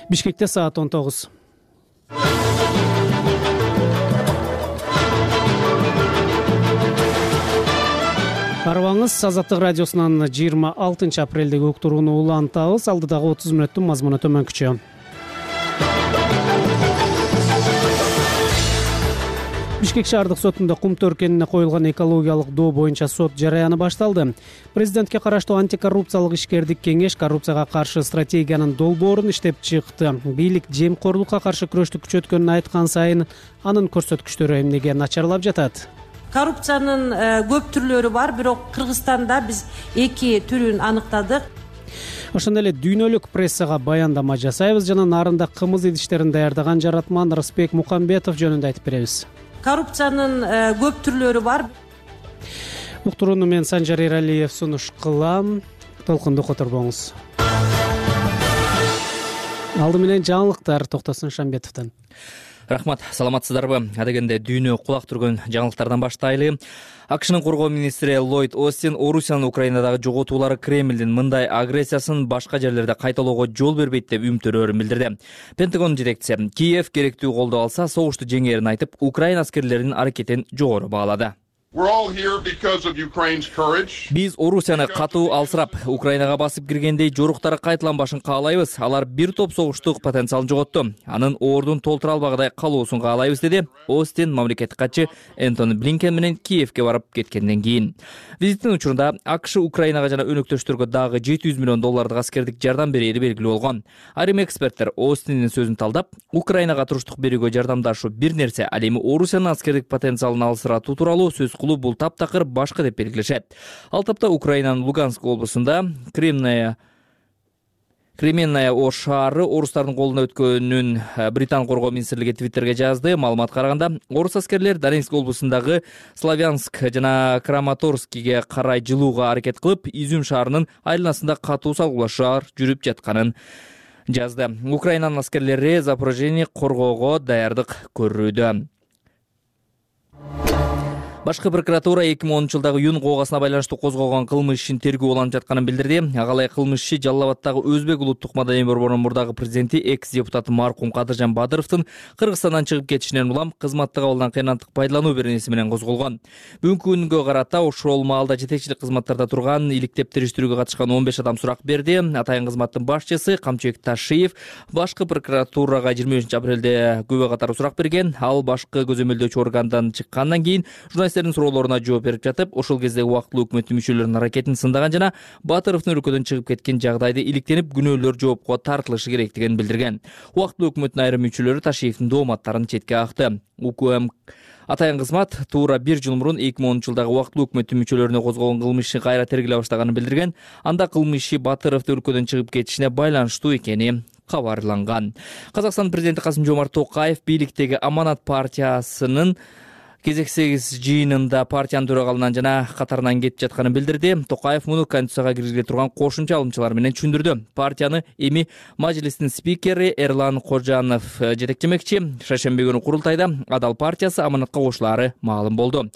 Бишкекте саат 19. Арыбаңыз Азаттык радиосунан 26 апрелдеги уктурууну улантабыз. Алдыдагы 30 мүнөттүн мазмуну төмөнкүчө. Бишкек шаардык сотунда кум төркенине коюлган экологиялык доо боюнча сот жараяны башталды. Президентке караштуу антикоррупциялык ишкердик кеңеш коррупцияга каршы стратегиянын долбоорун иштеп чыкты. Бийлик жемкорлукка каршы күрөштү күчөткөнүн айткан сайын анын көрсөткүчтөрү эмнеге начарлап жатат? Коррупциянын көп түрлөрү бар, бирок Кыргызстанда биз 2 түрүн аныктадык. Ошондой эле дүйнөлүк прессага баяндама жасайбыз жана нарында кымыз идиштерин даярдаган жаратман Рысбек Мукамбетов жөнүндө айтып беребиз. Коррупциянын көп түрлөрү бар. Уктурууну мен Санжар Эралиев сунуш кылам. Толкунду которбоңуз. Алды менен жаңылыктар Токтосун Шамбетовдон. Рахмат, саламатсыздарбы? Адегенде дүйнө кулак түргөн жаңылыктардан баштайлы. АКШнын коргоо министри Ллойд Остин Орусиянын Украинадагы жоготуулары Кремлдин мындай агрессиясын башка жерлерде кайталоого жол бербейт деп үмүттөрүн билдирди. Пентагон жетекчиси Киев керектүү колдоо алса согушту жеңээрин айтып, Украина аскерлеринин аракетин жогору баалады. Биз Орусияны катуу алсырап, Украинага басып киргендей жоруктары кайталанбашын каалайбыз. Алар бир топ согуштук потенциалын жоготту. Анын ордун толтура албагыдай калуусун каалайбыз, деди Остин мамлекеттик катчы Энтони Блинкен менен Киевке барып кеткенден кийин. Визиттин учурунда АКШ Украинага жана өнөктөштөргө дагы $700 миллион аскердик жардам берери белгилүү болгон. Айрым эксперттер Остиндин сөзүн талдап, Украинага туруштук берүүгө жардамдашуу бир нерсе, ал эми Орусиянын аскердик потенциалын алсыратуу тууралуу сөз бул таптакыр башка деп белгилешет. Ал тапта Украинанын Луганск облусунда Кременная Ош шаары орустардын колуна өткөнүн Британ коргоо министрлиги Твиттерге жазды. Маалыматка караганда, орус аскерлер Донецк облусундагы Славянск жана Краматорскиге карай жылууга аракет кылып, Изюм шаарынын айланасында катуу салгылашуулар жүрүп жатканын жазды. Украинанын аскерлери Запорожьени коргоого даярдык көрүүдө. Башкы прокуратура 2010-жылдагы июнь коогасына байланыштуу козголгон кылмыш ишин тергөө уланып жатканын билдирди. Ага ылайык кылмыш иши Жалал Абаддагы Өзбек улуттук маданий борборунун мурдагы президенти экс-депутаты маркум Кадыржан Бадыровдун Кыргызстандан чыгып кетишинен улам кызматтык абалдан кыйнаттык пайдалануу беренеси менен козголгон. Бүгүнкү күнгө карата ошол маалда жетекчилик кызматтарда турган иликтеп териштирүүгө катышкан 15 адам сурак берди. Атайын кызматтын башчысы Камчыбек Ташиев башкы прокуратурага 25 апрелде күбө катары сурак берген. Ал башкы көзөмөлдөөчү органдан чыккандан кийин журналисттердин суроолоруна жооп берип жатып, ошол кездеги убактылуу өкмөттүн мүчөлөрүнүн аракетин сындаган жана Батыровдун өлкөдөн чыгып кеткен жагдайды иликтенип, күнөөлөр жоопко тартылышы керектигин билдирген. Убактылуу өкмөттүн айрым мүчөлөрү Ташиевдин дооматтарын четке какты. УКМ атайын кызмат туура 1 жыл мурун 2010-жылдагы убактылуу өкмөттүн мүчөлөрүнө козголгон кылмыш ишин кайра тергелей баштаганын билдирген. Анда кылмыш иши Батыровдун өлкөдөн чыгып кетишине байланыштуу экени кабарланган. Казакстан президенти Касым-Жомарт Токаев бийликтеги Аманат партиясынын кезексиз жыйынында партиянын төрагалынан жана катарынан кетип жатканын билдирди. Токаев муну Конституцияга киргизиле турган кошумча алымчалар менен түшүндүрдү. Партияны эми Мажлистин спикери Эрлан Кожанов жетектемекчи. Шаршемби күнү курултайда Адал партиясы Аманатка кошулаары маалым болду.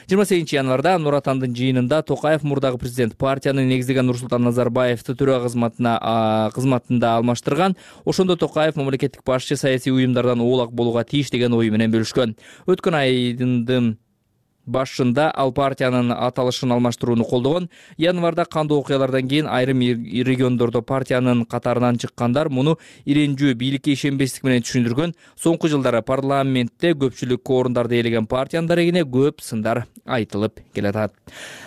28 январда Нур Атандын жыйынында Токаев мурдагы президент партияны негиздеген Нурсултан Назарбаевди төрага кызматында алмаштырган. Ошондо Токаев мамлекеттик башчы саясий уюмдардан оолак болууга тийиш деген ою менен бөлүшкөн. Өткөн айдын башында ал партиянын аталышын алмаштырууну колдогон. Январда кандуу окуялардан кийин айрым региондордо партиянын катарынан чыккандар муну иренжүү, бийликке ишенбестик менен түшүндүргөн. Соңку жылдары парламентте көпчүлүк орундарды ээлеген партиянын дарегине көп сындар айтылып келатат.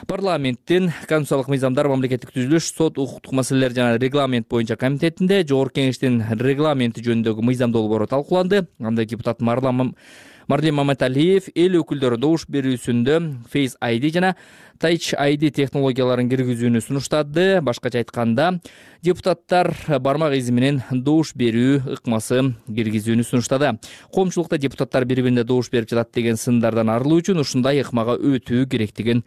Парламенттин конституциялык мыйзамдар, мамлекеттик түзүлүш, сот, укуктук маселелер жана регламент боюнча комитетинде Жогорку кеңештин регламенти жөнүндөгү мыйзам долбоору талкууланды. Анда депутат Марлен Маматалиев эл өкүлдөрү добуш берүүсүндө Face ID жана Touch ID технологияларын киргизүүнү сунуштады. Башкача айтканда, депутаттар бармак изи менен добуш берүү ыкмасы киргизүүнү сунуштады. Коомчулукта депутаттар бири-бирине добуш берип жатат деген сындардан арылуу үчүн ушундай ыкмага өтүү керектигин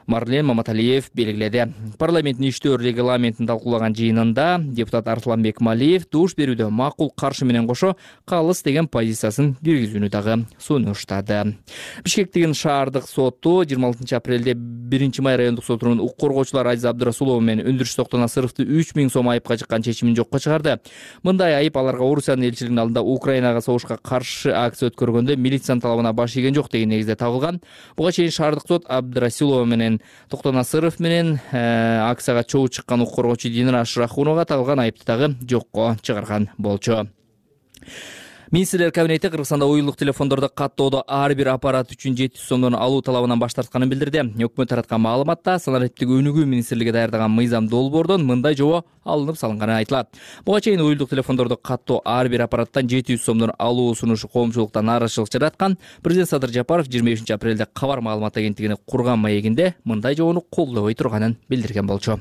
Марлен Маматалиев белгиледи. Парламенттин иштөө регламентин талкуулаган жыйынында депутат Арсланбек Малиев добуш берүүдө макул каршы менен кошо калыс деген позициясын киргизүүнү дагы сунуштады. Бишкектин шаардык соту 26 апрелде 1 май райондук сотунун укук коргоочулар Азиза Абдырасулова менен Өндүрүш Токтонасыровду 3000 сом айыпка жыккан чечимин жокко чыгарды. Мындай айып аларга Орусиянын элчилигинин алдында Украинага согушка каршы акция өткөргөндө милициянын талабына баш ийген жок деген негизде табылган. Буга чейин шаардык сот Абдырасулова менен Токтонасыров менен акцияга чогуу чыккан укук коргоочу Динара Ашрахуновага табылган айыпты дагы жокко чыгарган болчу. Министрлер кабинети Кыргызстанда уюлдук телефондорду каттоодо ар бир аппарат үчүн 700 сомдон алуу талабынан баш тартканын билдирди. Өкмөт тараткан маалыматта санариптик өнүгүү министрлиги даярдаган мыйзам долбоордон мындай жобо алынып салынганы айтылат. Буга чейин уюлдук телефондорду каттоо ар бир аппараттан 700 сомдон алуу сунушу коомчулукта нааразычылык жараткан. Президент Садыр Жапаров 25 апрелде Кабар маалымат агенттигине курган маегинде мындай жобону колдобой турганын билдирген болчу.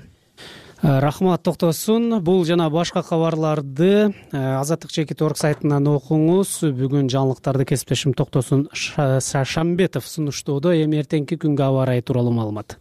Рахмат Токтосун. Бул жана башка кабарларды Азаттык Чекит орг сайтынан окуңуз. Бүгүн жаңылыктарды кесиптешим Токтосун Шамбетов сунуштоодо. Эми эртеңки күнгө аба ырайы тууралуу маалымат.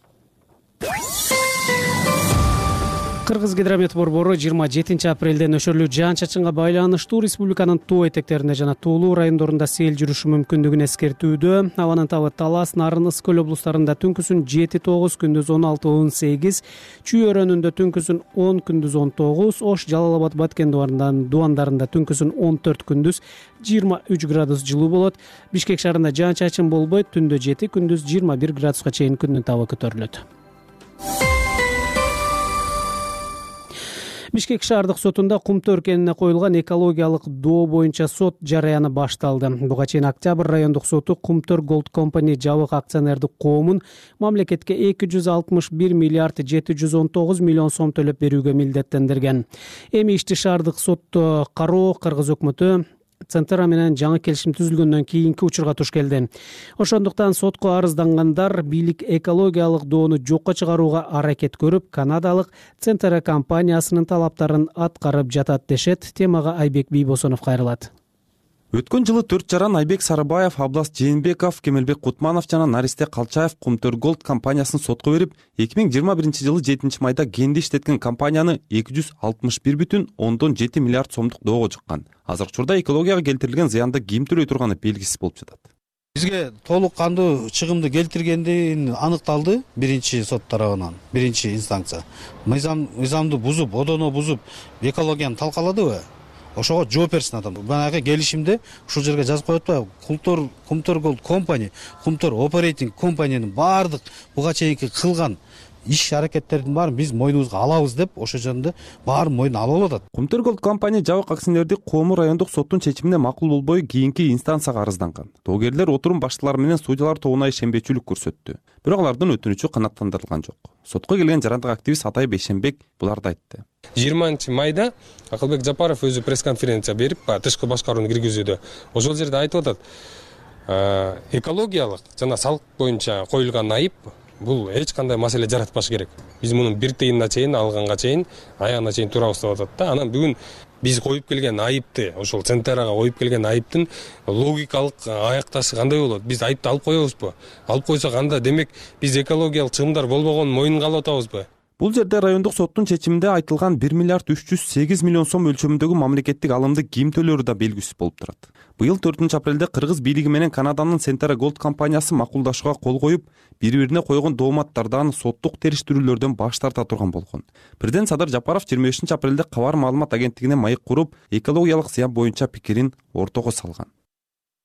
Кыргыз гидромет борбору 27 апрелде нөшөрлүү жаан-чачынга байланыштуу республиканын тоо этектеринде жана тоолуу райондорунда сел жүрүшү мүмкүндүгүн эскертүүдө. Абанын табы Талас, Нарын, Ысык көл облустарында түнкүсүн 7-9, күндүз 16-18, Чүй өрөөнүндө түнкүсүн 10, күндүз 19, Ош, Жалал Абад, Баткен дубандарында түнкүсүн 14, күндүз 23 градус жылуу болот. Бишкек шаарында жаан-чачын болбойт, түндө 7, күндүз 21 градуска чейин күндүн табы көтөрүлөт. Бишкек шаардык сотунда Кумтөр кенине коюлган экологиялык доо боюнча сот жараяны башталды. Буга чейин Октябрь райондук соту Кумтөр Голд Компани жабык акционердик коомун мамлекетке 261 миллиард 719 миллион сом төлөп берүүгө милдеттендирген. Эми ишти шаардык сотто кароо Кыргыз өкмөтү Центра менен жаңы келишим түзүлгөндөн кийинки учурга туш келди. Ошондуктан сотко арыздангандар бийлик экологиялык доону жокко чыгарууга аракет көрүп, канадалык Центра компаниясынын талаптарын аткарып жатат дешет. Темага Айбек Бийбосонов кайрылат. Өткөн жылы 4 жаран Айбек Сарыбаев, Аблас Жээнбеков, Кемелбек Кутманов жана Наристе Калчаев Кумтөр Голд компаниясын сотко берип, 2021 жылы 7 майда кенди иштеткен компанияны 261,7 миллиард сомдук доого жыккан. Азыркы учурда экологияга келтирилген зыянды ким төлөй турганы белгисиз болуп жатат. Бизге толук кандуу чыгымды келтиргенди аныкталды биринчи сот тарабынан, биринчи инстанция. Мыйзамды бузуп, одоно бузуп, экологияны талкаладыбы? Ошого жооп берсин адам. Банагы келишимде ушул жерге жазып коет атпайбы? Кумтөр Голд компани, Кумтөр оперейтинг компаниянын баардык буга чейинки кылган иш аракеттердин баарын биз мойнубузга алабыз деп, ошо жерде баарын мойнуна алып атат. Кумтөр Голд компания жабык акционердик коому райондук соттун чечимине макул болбой кийинки инстанцияга арызданган. Доогерлер отурум башталары менен судьялар тобуна ишенбечүлүк көрсөттү. Бирок алардын өтүнүчү канааттандырылган жок. Сотко келген жарандык активист Атай Бейшенбек буларды айтты. 20 майда Акылбек Жапаров өзү пресс-конференция берип, тышкы башкарууну киргизүүдө ошол жерде айтып атат. Экологиялык жана салык боюнча коюлган айып бул эч кандай маселе жаратпаш керек. Биз мунун бир тыйынына чейин алганга чейин, аягына чейин турабыз деп атат да. Анан бүгүн биз коюп келген айыпты, ошол Центрага коюп келген айыптын логикалык аякташы кандай болот? Биз айыпты алып коебузбу? Алып койсок анда демек биз экологиялык чыгымдар болбогонун мойнунга алып атабызбы? Бул жерде райондук соттун чечиминде айтылган 1 миллиард 308 миллион сом өлчөмүндөгү мамлекеттик алымды ким төлөөрү да белгисиз болуп турат. Быйыл 4 апрелде Кыргыз бийлиги менен Канаданын Центра Голд компаниясы макулдашууга кол коюп, бири-бирине койгон дооматтардан соттук териштирүүлөрдөн баш тарта турган болгон. Президент Садыр Жапаров 25 апрелде Кабар маалымат агенттигине маек куруп, экологиялык зыян боюнча пикирин ортого салган.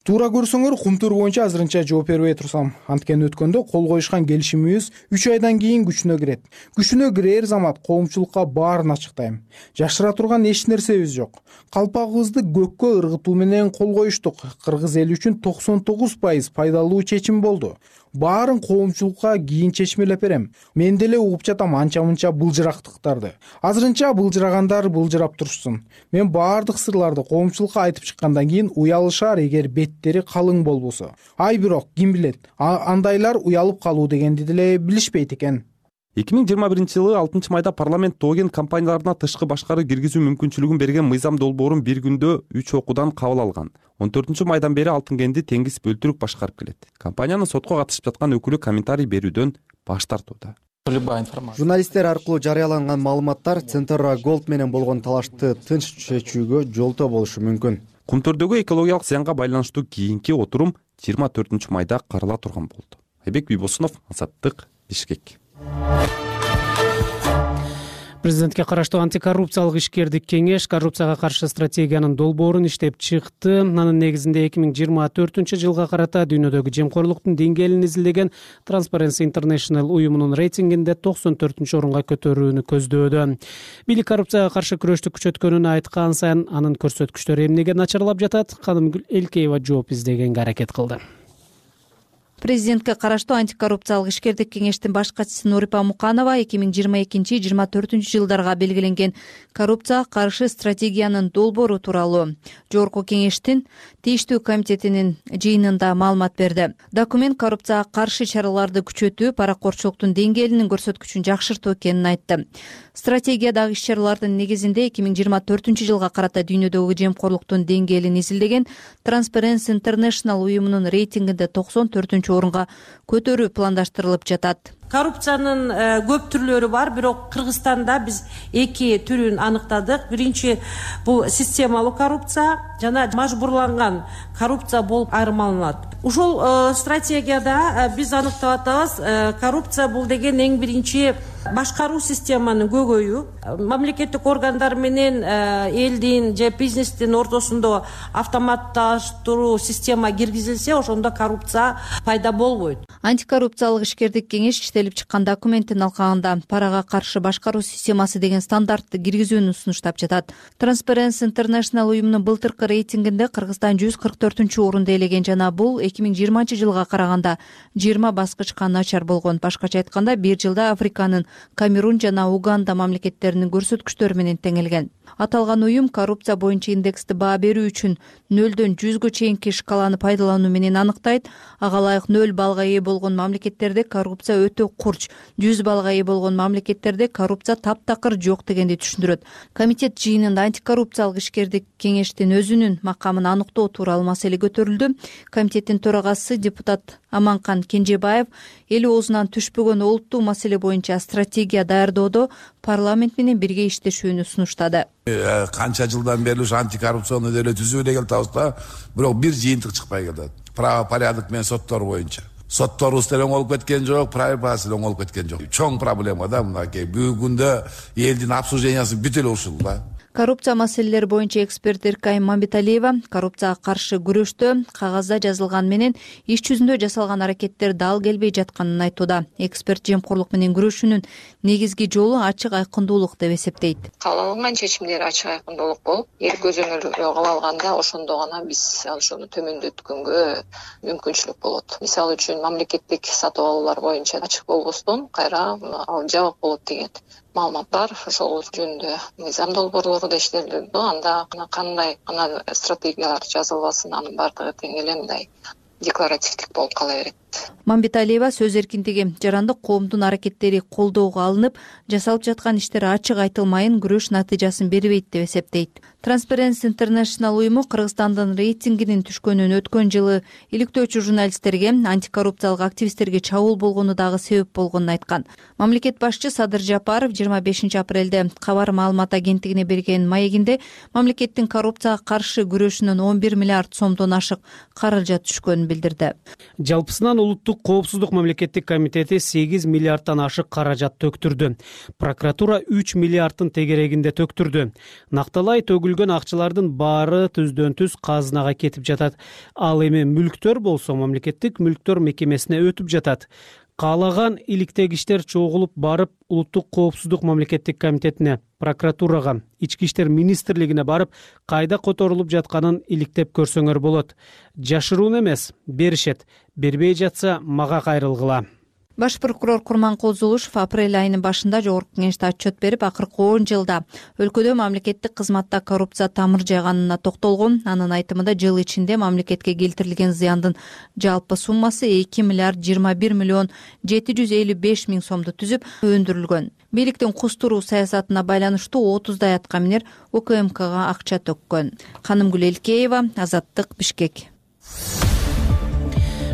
Туура көрсөңөр, Кумтөр боюнча азырынча жооп бербей турсам, анткени өткөндө кол коюшкан келишимибиз 3 айдан кийин күчүнө кирет. Күчүнө кирээр замат коомчулукка баарын ачыктайм. Жашыра турган эч нерсебиз жок. Калпагыбызды көккө ыргытуу менен кол коюштук. Кыргыз эли үчүн 99% пайдалуу чечим болду. Баарын коомчулукка кийин чечмелеп берем. Мен деле угуп жатам анча-мынча былжырактыктарды. Азырынча былжырагандар былжырап турушсун. Мен баардык сырларды коомчулукка айтып чыккандан кийин уялышар эгер беттери калың болбосо. Ай бирок ким билет, андайлар уялып калуу дегенди деле билишпейт экен. 2021 жылы 6 майда парламент тоген компанияларына тышкы башкаруу киргизүү мүмкүнчүлүгүн берген мыйзам долбоорун бир күндө 3 окуудан кабыл алган. 14 майдан бери Алтын кенди Теңиз бөлтүрүк башкарып келет. Компаниянын сотко катышып жаткан өкүлү комментарий берүүдөн баш тартууда. Журналисттер аркылуу жарыяланган маалыматтар Центера Голд менен болгон талашты тынч чечүүгө жолтоо болушу мүмкүн. Кумтөрдөгү экологиялык зыянга байланыштуу кийинки отурум 24 майда карала турган болду. Айбек Бийбосунов, Азаттык, Бишкек. Президентке караштуу антикоррупциялык ишкердик кеңеш коррупцияга каршы стратегиянын долбоорун иштеп чыкты. Анын негизинде 2024-жылга карата дүйнөдөгү жемкорлуктун деңгээлин изилдеген Transparency International уюмунун рейтингинде 94-орунга көтөрүүнү көздөөдө. Бийлик коррупцияга каршы күрөштү күчөткөнүн айткан сайын анын көрсөткүчтөрү эмнеге начарлап жатат? Канымгүл Элкеева жооп издегенге аракет кылды. Президентке караштуу антикоррупциялык ишкердик кеңештин баш катчысы Нурипа Муканова 2022-2024 жылдарга белгиленген коррупцияга каршы стратегиянын долбоору тууралуу жогорку кеңештин тийиштүү комитетинин жыйынында маалымат берди. Документ коррупцияга каршы чараларды күчөтүү, паракорчулуктун деңгээлинин көрсөткүчүн жакшыртуу экенин айтты. Стратегиядагы иш-чаралардын негизинде 2024 жылга карата дүйнөдөгү жемкорлуктун деңгээлин изилдеген Transparency International уюмунун рейтингинде 94-орунга көтөрүү пландаштырылып жатат. Коррупциянын көп түрлөрү бар, бирок Кыргызстанда биз эки түрүн аныктадык. Биринчи бул системалуу коррупция жана мажбурланган коррупция болуп айырмаланат. Ушул стратегияда биз аныктап атабыз, коррупция бул деген эң биринчи башкаруу системанын көйгөйү. Мамлекеттик органдар менен элдин же бизнестин ортосунда автоматташтыруу система киргизилсе, ошондо коррупция пайда болбойт. Антикоррупциялык ишкердик кеңеш иштелип чыккан документтин алкагында парага каршы башкаруу системасы деген стандартты киргизүүнү сунуштап жатат. Transparency International уюмунун былтыркы рейтингинде Кыргызстан 144-орунду ээлеген жана бул 2020 жылга караганда 20 баскычка начар болгон. Башкача айтканда, бир жылда Африканын Камерун жана Уганда мамлекеттеринин көрсөткүчтөрү менен теңелген. Аталган уюм коррупция боюнча индексти баа берүү үчүн 0-дөн 100гө чейинки шкаланы пайдалануу менен аныктайт. Ага ылайык 0 баллга ээ болгон мамлекеттерде коррупция өтө курч, 100 баллга ээ болгон мамлекеттерде коррупция таптакыр жок дегенди түшүндүрөт. Комитет жыйынында антикоррупциялык ишкердик кеңештин өзүнүн макамын аныктоо тууралуу маселе көтөрүлдү. Комитеттин төрагасы депутат Аманкан Кенжебаев эл оозунан түшпөгөн олуттуу маселе боюнча стратегия даярдоодо парламент менен бирге иштешүүнү сунуштады. Канча жылдан бери ушу антикоррупционный деле түзүү деген атабыз, бирок бир жыйынтык чыкпай келет. Право порядок менен соттор боюнча. Сотторубуз деле оңолуп кеткен жок, правопасы деле оңолуп кеткен жок. Чоң проблема да мынакей. Бүгүнкү күндө элдин обслужениясы бүт эле ушул да. Коррупция маселелери боюнча эксперт Эркай Мамбеталиева коррупцияга каршы күрөштө кагазда жазылган менен иш жүзүндө жасалган аракеттер дал келбей жатканын айтууда. Эксперт жемкорлук менен күрөшүүнүн негизги жолу ачык айкындуулук деп эсептейт. Кабыл алынган чечимдер ачык айкындуулук болуп, эл көзөмөлгө кабыл алганда ошондо гана биз ошону төмөндөткөнгө мүмкүнчүлүк болот. Мисалы үчүн мамлекеттик сатып алуулар боюнча ачык болбостон кайра ал жабык болот деген маалымат бар. Ошол жөнүндө мыйзам долбоорлору да иштелди. Анда кандай стратегиялар жазылбасын, анын бардыгы тең эле мындай декларативдик болуп кала берет. Мамбеталиева сөз эркиндиги, жарандык коомдун аракеттери колдоого алынып, жасалып жаткан иштер ачык айтылмайын күрөш натыйжасын бербейт деп эсептейт. Transparency International уюму Кыргызстандын рейтингинин түшкөнүн өткөн жылы иликтөөчү журналисттерге, антикоррупциялык активисттерге чабуул болгону дагы себеп болгонун айткан. Мамлекет башчы Садыр Жапаров 25 апрелде Кабар маалымат агенттигине берген маегинде мамлекеттин коррупцияга каршы күрөшүнүн 11 миллиард сомдон ашык каражат түшкөнүн билдирди. Жалпысынан улуттук коопсуздук мамлекеттик комитети 8 миллиардтан ашык каражат төктүрдү. Прокуратура 3 миллиардтын тегерегинде төктүрдү. Накталай төгүлгөн акчалардын баары түздөн түз казынага кетип жатат. Ал эми мүлктөр болсо мамлекеттик мүлктөр мекемесине өтүп жатат. Каалаган иликтегичтер чогулуп барып улуттук коопсуздук мамлекеттик комитетине, прокуратурага, ички иштер министрлигине барып кайда которулуп жатканын иликтеп көрсөңөр болот. Жашыруун эмес, беришет. Бербей жатса мага кайрылгыла. Баш прокурор Курманкул Зулушев апрель айынын башында жогорку кеңеште отчет берип, акыркы 10 жылда өлкөдө мамлекеттик кызматта коррупция тамыр жайганына токтолгон. Анын айтымында жыл ичинде мамлекетке келтирилген зыяндын жалпы суммасы 2 миллиард 21 миллион 755 миң сомду түзүп өндүрүлгөн. Бийликтин кустуруу саясатына байланыштуу 30дай аткаминер УКМКга акча төккөн. Канымгүл Элкеева, Азаттык, Бишкек.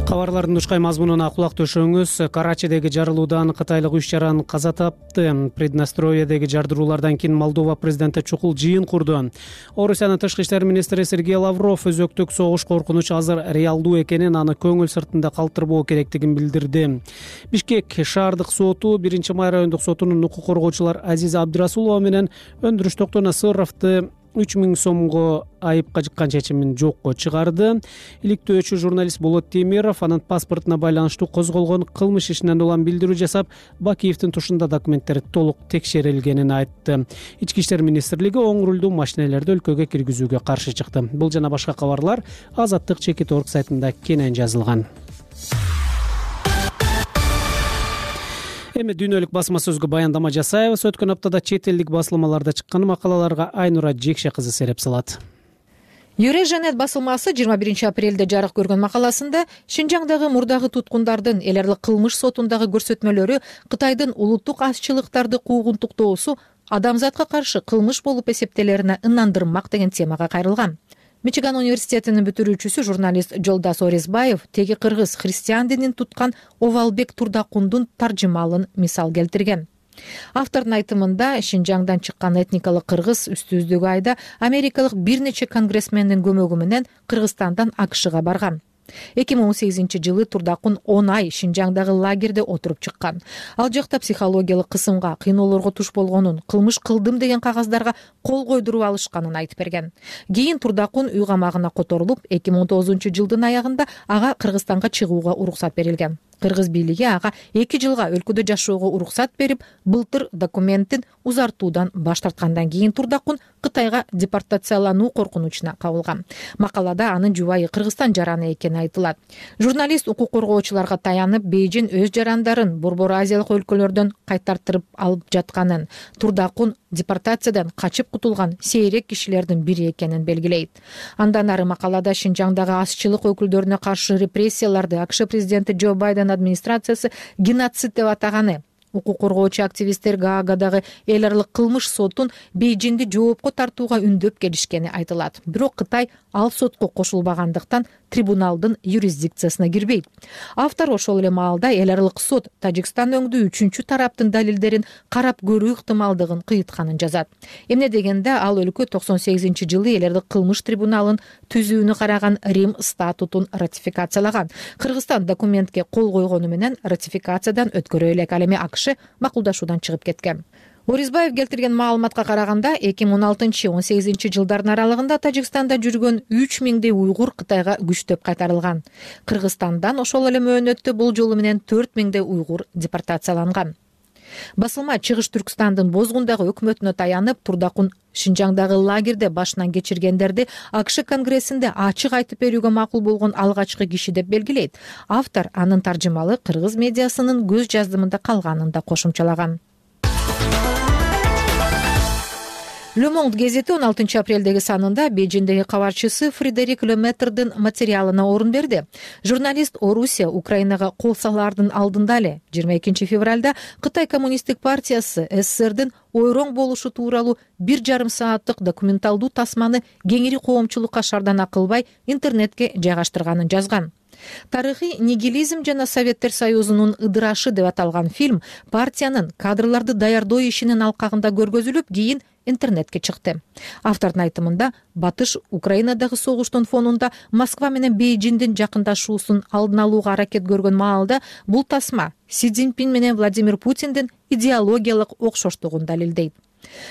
Кабарлардын ушкай мазмунуна кулак төшөңүз. Карачидеги жарылуудан кытайлык 3 жаран каза тапты. Приднестровьедеги жардыруулардан кийин Молдова президенти чукул жыйын курду. Орусиянын тышкы иштер министри Сергей Лавров өзөктүк согуш коркунучу азыр реалдуу экенин, аны көңүл сыртында калтырбоо керектигин билдирди. Бишкек шаардык соту 1-май райондук сотунун укук коргоочулар Азиза Абдырасулова менен өндүрүш Токтонасыровду 3000 сомго айыпка жыккан чечимин жокко чыгарды. Иликтөөчү журналист Болот Темиров анын паспортуна байланыштуу козголгон кылмыш ишинен улам билдирүү жасап, Бакиевдин тушунда документтери толук текшерилгенин айтты. Ички иштер министрлиги оң рулдуу машинелерди өлкөгө киргизүүгө каршы чыкты. Бул жана башка кабарлар Азаттык Чекит.org сайтында кенен жазылган. Эми дүйнөлүк басма сөзгө баяндама жасайбыз. Өткөн аптада чет элдик басылмаларда чыккан макалаларга Айнура Жекше кызы сереп салат. Юреженет басылмасы 21 апрелде жарык көргөн макаласында Шинжаңдагы мурдагы туткундардын эл аралык кылмыш сотундагы көрсөтмөлөрү Кытайдын улуттук азчылыктарды куугунтуктоосу адамзатка каршы кылмыш болуп эсептелерине ынандырмак деген темага кайрылган. Мичиган университетинин бүтүрүүчүсү журналист Жолдас Орезбаев теги кыргыз христиан динин туткан Овалбек Турдакундун таржымалын мисал келтирген. Автордун айтымында Шинжаңдан чыккан этникалык кыргыз үстүздөгү айда америкалык бир нече конгрессмендин көмөгү менен Кыргызстандан АКШга барган. 2018 жылы Турдакун 10 ай Шинжаңдагы лагерде отуруп чыккан. Ал жакта психологиялык кысымга, кыйноолорго туш болгонун, кылмыш кылдым деген кагаздарга кол койдуруп алышканын айтып берген. Кийин Турдакун үй камагына которулуп, 2019 жылдын аягында ага Кыргызстанга чыгууга уруксат берилген. Кыргыз бийлиги ага 2 жылга өлкөдө жашоого уруксат берип, былтыр документин узартуудан баш тарткандан кийин Турдакун Кытайга депортациялануу коркунучуна кабылган. Макалада анын жубайы Кыргызстан жараны экени айтылат. Журналист укук коргоочуларга таянып, Бейжин өз жарандарын Борбор Азиялык өлкөлөрдөн кайтартырып алып жатканын, Турдакун депортациядан качып кутулган сейрек кишилердин бири экенин белгилейт. Андан ары макалада Шинжаңдагы азчылык өкүлдөрүнө каршы репрессияларды АКШ президенти Джо Байден администрациясы геноцид деп атаганы, укук коргоочу активисттер Гаагадагы эл аралык кылмыш сотун Бейжинди жоопко тартууга үндөп келишкени айтылат. Бирок Кытай ал сотко кошулбагандыктан трибуналдын юрисдикциясына кирбейт. Автор ошол эле маалда эл аралык сот Тажикстан өңдүү 3-чү тараптын далилдерин карап көрүү ыктымалдыгын кыйытканын жазат. Эмне дегенде ал өлкө 98 жылы эл аралык кылмыш трибуналын түзүүнү караган Рим статутун ратификациялаган. Кыргызстан документке кол койгону менен ратификациядан өткөрө элек, ал эми АКШ макулдашуудан чыгып кеткен. Орезбаев келтирген маалыматка караганда 2016-18 жылдардын аралыгында Тажикстанда жүргөн 3000 уйгур Кытайга күчтөп кайтарылган. Кыргызстандан ошол эле мөөнөттө бул жолу менен 4000 уйгур депортацияланган. Басылма Чыгыш Түркстандын Бозгундагы өкмөтүнө таянып, Турдакун Шинжаңдагы лагерде башынан кечиргендерди АКШ конгрессинде ачык айтып берүүгө макул болгон алгачкы киши деп белгилейт. Автор анын таржымалы кыргыз медиасынын көз жаздымында калганын да кошумчалаган. Le Monde гезети 16 апрелдеги санында Бейжиндеги кабарчысы Фредерик Леметрдин материалына орун берди. Журналист Орусия Украинага кол салаардын алдында эле 22 февралда Кытай коммунисттик партиясы СССРдин ойроң болушу тууралуу 1,5 сааттык документалдуу тасманы кеңири коомчулукка шардана кылбай интернетке жайгаштырганын жазган. Тарыхый нигилизм жана Советтер Союзунун ыдырашы деп аталган фильм партиянын кадрларды даярдоо ишинин алкагында көргөзүлүп, кийин интернетке чыкты. Автордун айтымында Батыш Украинадагы согуштун фонунда Москва менен Бейжиндин жакындашуусун алдын алууга аракет көргөн маалда бул тасма Си Цзиньпин менен Владимир Путиндин идеологиялык окшоштугун далилдейт.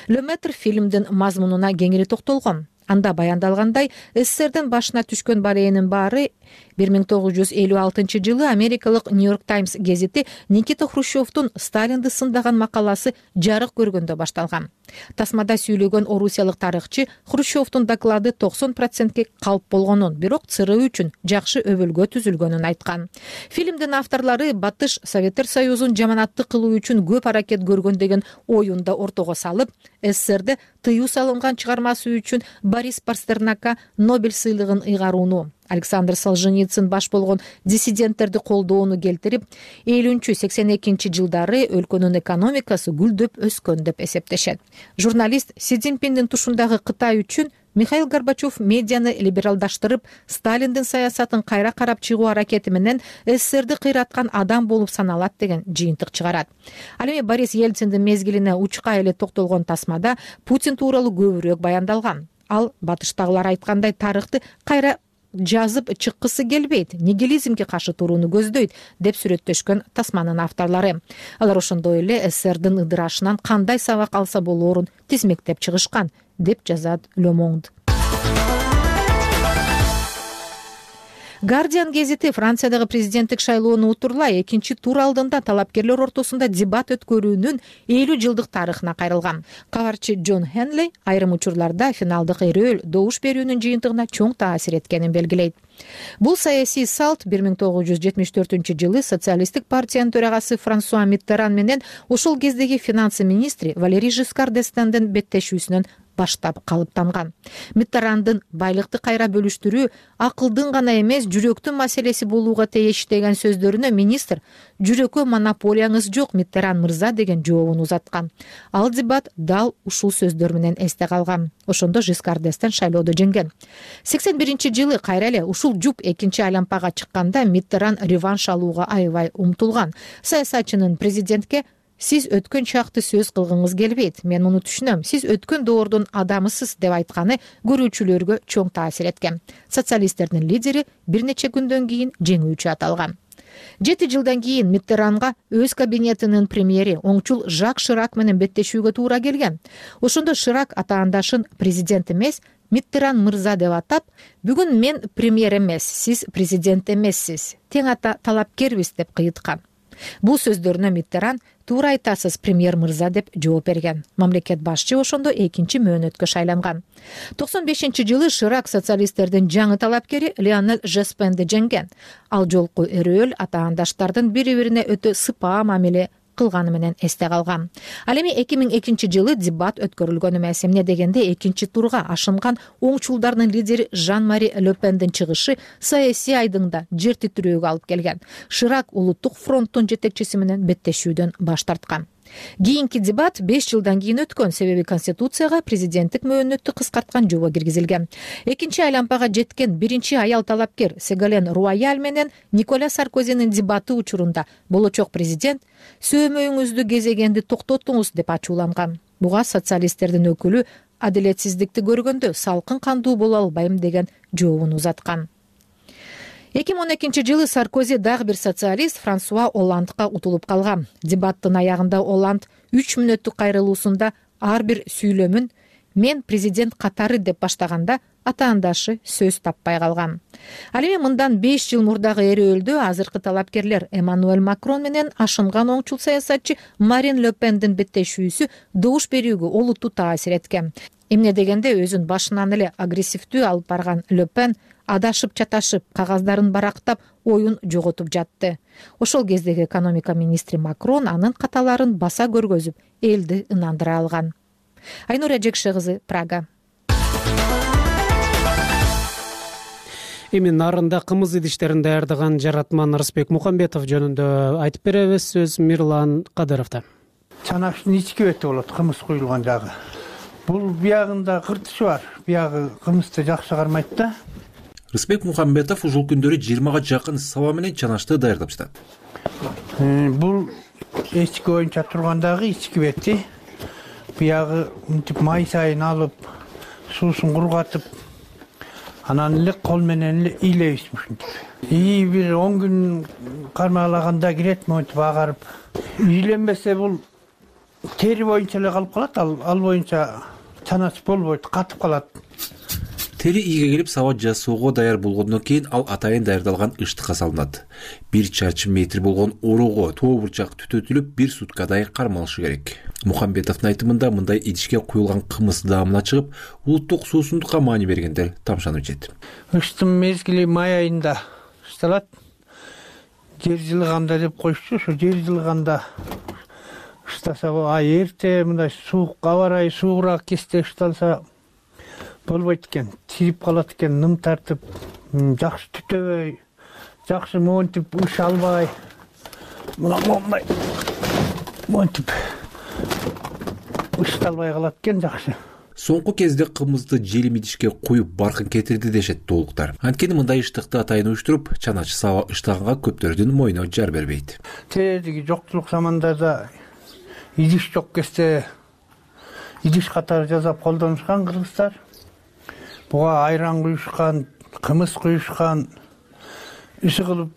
Леметр фильмдин мазмунуна кеңири токтолгон. Анда баяндалгандай, СССРдин башына түшкөн барээнин баары 1956 жылы америкалык Нью-Йорк Таймс гезети Никита Хрущевдун Сталинди сындаган макаласы жарык көргөндө башталган. Тасмада сүйлөгөн орусиялык тарыхчы Хрущевдун доклады 90% калп болгонун, бирок ЦРУ үчүн жакшы өбөлгө түзүлгөнүн айткан. Фильмдин авторлору Батыш Советтер Союзун жаманаттык кылуу үчүн көп аракет көргөн деген оюн да ортого салып, СССРде тыюу салынган чыгармасы үчүн Борис Пастернакка Нобель сыйлыгын ыйгарууну, Александр Солженицын баш болгон диссиденттерди колдоону келтирип, 50-82 жылдары өлкөнүн экономикасы гүлдөп өскөн деп эсептешет. Журналист Си Цзиньпиндин тушундагы Кытай үчүн Михаил Горбачев медианы либералдаштырып, Сталиндин саясатын кайра карап чыгуу аракети менен СССРди кыйраткан адам болуп саналат деген жыйынтык чыгарат. Ал эми Борис Ельциндин мезгилине учка эле токтолгон тасмада Путин тууралуу көбүрөөк баяндалган. Ал батыштагылар айткандай тарыхты кайра жазып чыккысы келбейт, нигилизмге каршы турууну көздөйт деп сүрөттөшкөн тасманын авторлору. Алар ошондой эле СССРдин ыдырашынан кандай сабак алса болоорун тизмектеп чыгышкан деп жазат Le Monde. Guardian гезити Франциядагы президенттик шайлоону утурлай экинчи тур алдында талапкерлер ортосунда дебат өткөрүүнүн 50 жылдык тарыхына кайрылган. Кабарчы Джон Хенли айрым учурларда финалдык эрөөл добуш берүүнүн жыйынтыгына чоң таасир эткенин белгилейт. Бул саясий салт 1974-жылы социалисттик партиянын төрагасы Франсуа Миттеран менен ошол кездеги финансы министри Валерий Жискар д'Эстендин беттешүүсүнөн баштап калыптанган. Миттерандын байлыкты кайра бөлүштүрүү акылдын гана эмес, жүрөктүн маселеси болууга тийиш деген сөздөрүнө министр "Жүрөккө монополияңыз жок, Миттеран мырза" деген жообун узаткан. Ал дебат дал ушул сөздөр менен эсте калган. Ошондо Жискар д'Эстен шайлоодо жеңген. 81-жылы кайра эле ушул жуп экинчи айлампага чыкканда Миттеран реванш алууга аябай умтулган. Саясатчынын президентке "Сиз өткөн чакты сөз кылгыңыз келбейт. Мен муну түшүнөм. Сиз өткөн доордун адамысыз" деп айтканы көрүүчүлөргө чоң таасир эткен. Социалисттердин лидери бир нече күндөн кийин жеңүүчү аталган. 7 жылдан кийин Миттеранга өз кабинетинин премьери оңчул Жак Ширак менен беттешүүгө туура келген. Ошондо Ширак атаандашын президент эмес, Миттеран мырза деп атап, "Бүгүн мен премьер эмес, сиз президент эмессиз. Тең ата талапкербиз" деп кыйыткан. Бул сөздөрүнө Миттеран "Туура айтасыз, премьер мырза" деп жооп берген. Мамлекет башчы ошондо экинчи мөөнөткө шайланган. 95-жылы Ширак социалисттердин жаңы талапкери Лионель Жоспенди жеңген. Ал жолку эрөөл атаандаштардын бири-бирине өтө сыпаа мамиле кылганы менен эсте калган. Ал эми 2002-жылы дебат өткөрүлгөн эмес. Эмне дегенде экинчи турга ашынган оңчулдардын лидери Жан-Мари Ле Пендин чыгышы саясий айдыңда жер титирөөгө алып келген. Ширак улуттук фронттун жетекчиси менен беттешүүдөн баш тарткан. Кийинки дебат 5 жылдан кийин өткөн, себеби Конституцияга президенттик мөөнөттү кыскарткан жобо киргизилген. Экинчи айлампага жеткен биринчи аял талапкер Сеголен Руаяль менен Николя Саркозинин дебаты учурунда болочок президент "Сөөмөйүңүздү кезегенди токтотуңуз" деп ачууланган. Буга социалисттердин өкүлү адилетсиздикти көргөндө салкын кандуу боло албайм деген жообун узаткан. 2012-жылы Саркози дагы бир социалист Франсуа Олландга утулуп калган. Дебаттын аягында Олланд 3 мүнөттүк кайрылуусунда ар бир сүйлөмүн "Мен президент катары" деп баштаганда атаандашы сөз таппай калган. Ал эми мындан 5 жыл мурдагы эрөөлдө азыркы талапкерлер Эммануэль Макрон менен ашынган оңчул саясатчы Марин Ле Пендин беттешүүсү добуш берүүгө олуттуу таасир эткен. Эмне дегенде өзүн башынан эле агрессивдүү алып барган Ле Пен адашып-чаташып, кагаздарын барактап, оюн жоготуп жатты. Ошол кездеги экономика министри Макрон анын каталарын баса көргөзүп, элди ынандыра алган. Айнура Жекше кызы, Прага. Эми нарында кымыз идиштерин даярдаган жаратман Рысбек Мухамбетов жөнүндө айтып беребиз. Сөз Мирлан Кадыровдо. Чанактын ички бети болот, кымыз куюлган жагы. Бул биягында кыртышы бар. Биягы кымызды жакшы кармайт да. Рысбек Мухамбетов ушул күндөрү 20га жакын саба менен чанашты даярдап жатат. Бул эчки боюнча тургандагы ички бети. Биягы мынтип май сайын алып, суусун кургатып, анан эле кол менен эле ыйлайбыз ушинтип. Бир 10 күн кармалаганда кирет, монтип агарып. Ийленбесе бул тери боюнча эле калып калат, ал боюнча чанасы болбойт, катып калат. Тери ийге келип саба жасоого даяр болгондон кийин ал атайын даярдалган ыштыкка салынат. 1 чарчы метр болгон ороого тоо бурчак түтөтүлүп 1 суткадай кармалышы керек. Мухамбетовдун айтымында мындай идишке куюлган кымыз даамына чыгып, улуттук суусундукка маани бергендер тамшанып жет. Ыштын мезгили май айында ышталат. Жер жылыганда деп коюшчу, ошо жер жылыганда ыштаса эрте мындай суук аба ырайы суугураак кезде ышталса болбойт экен, тирип калат экен, ным тартып жакшы түтөбөй, жакшы монтип ыш албай, мына момундай монтип ышталбай калат экен жакшы. Соңку кезде кымызды желим идишке куюп баркын кетирди дешет тоолуктар. Анткени мындай ыштыкты атайын уюштуруп, чаначы саба ыштаганга көптөрдүн мойну жар бербейт. Тээдиги жоктулук замандарда идиш жок кезде идиш катары жасап колдонушкан кыргыздар. Буга айран куюшкан, кымыз куюшкан, иши кылып,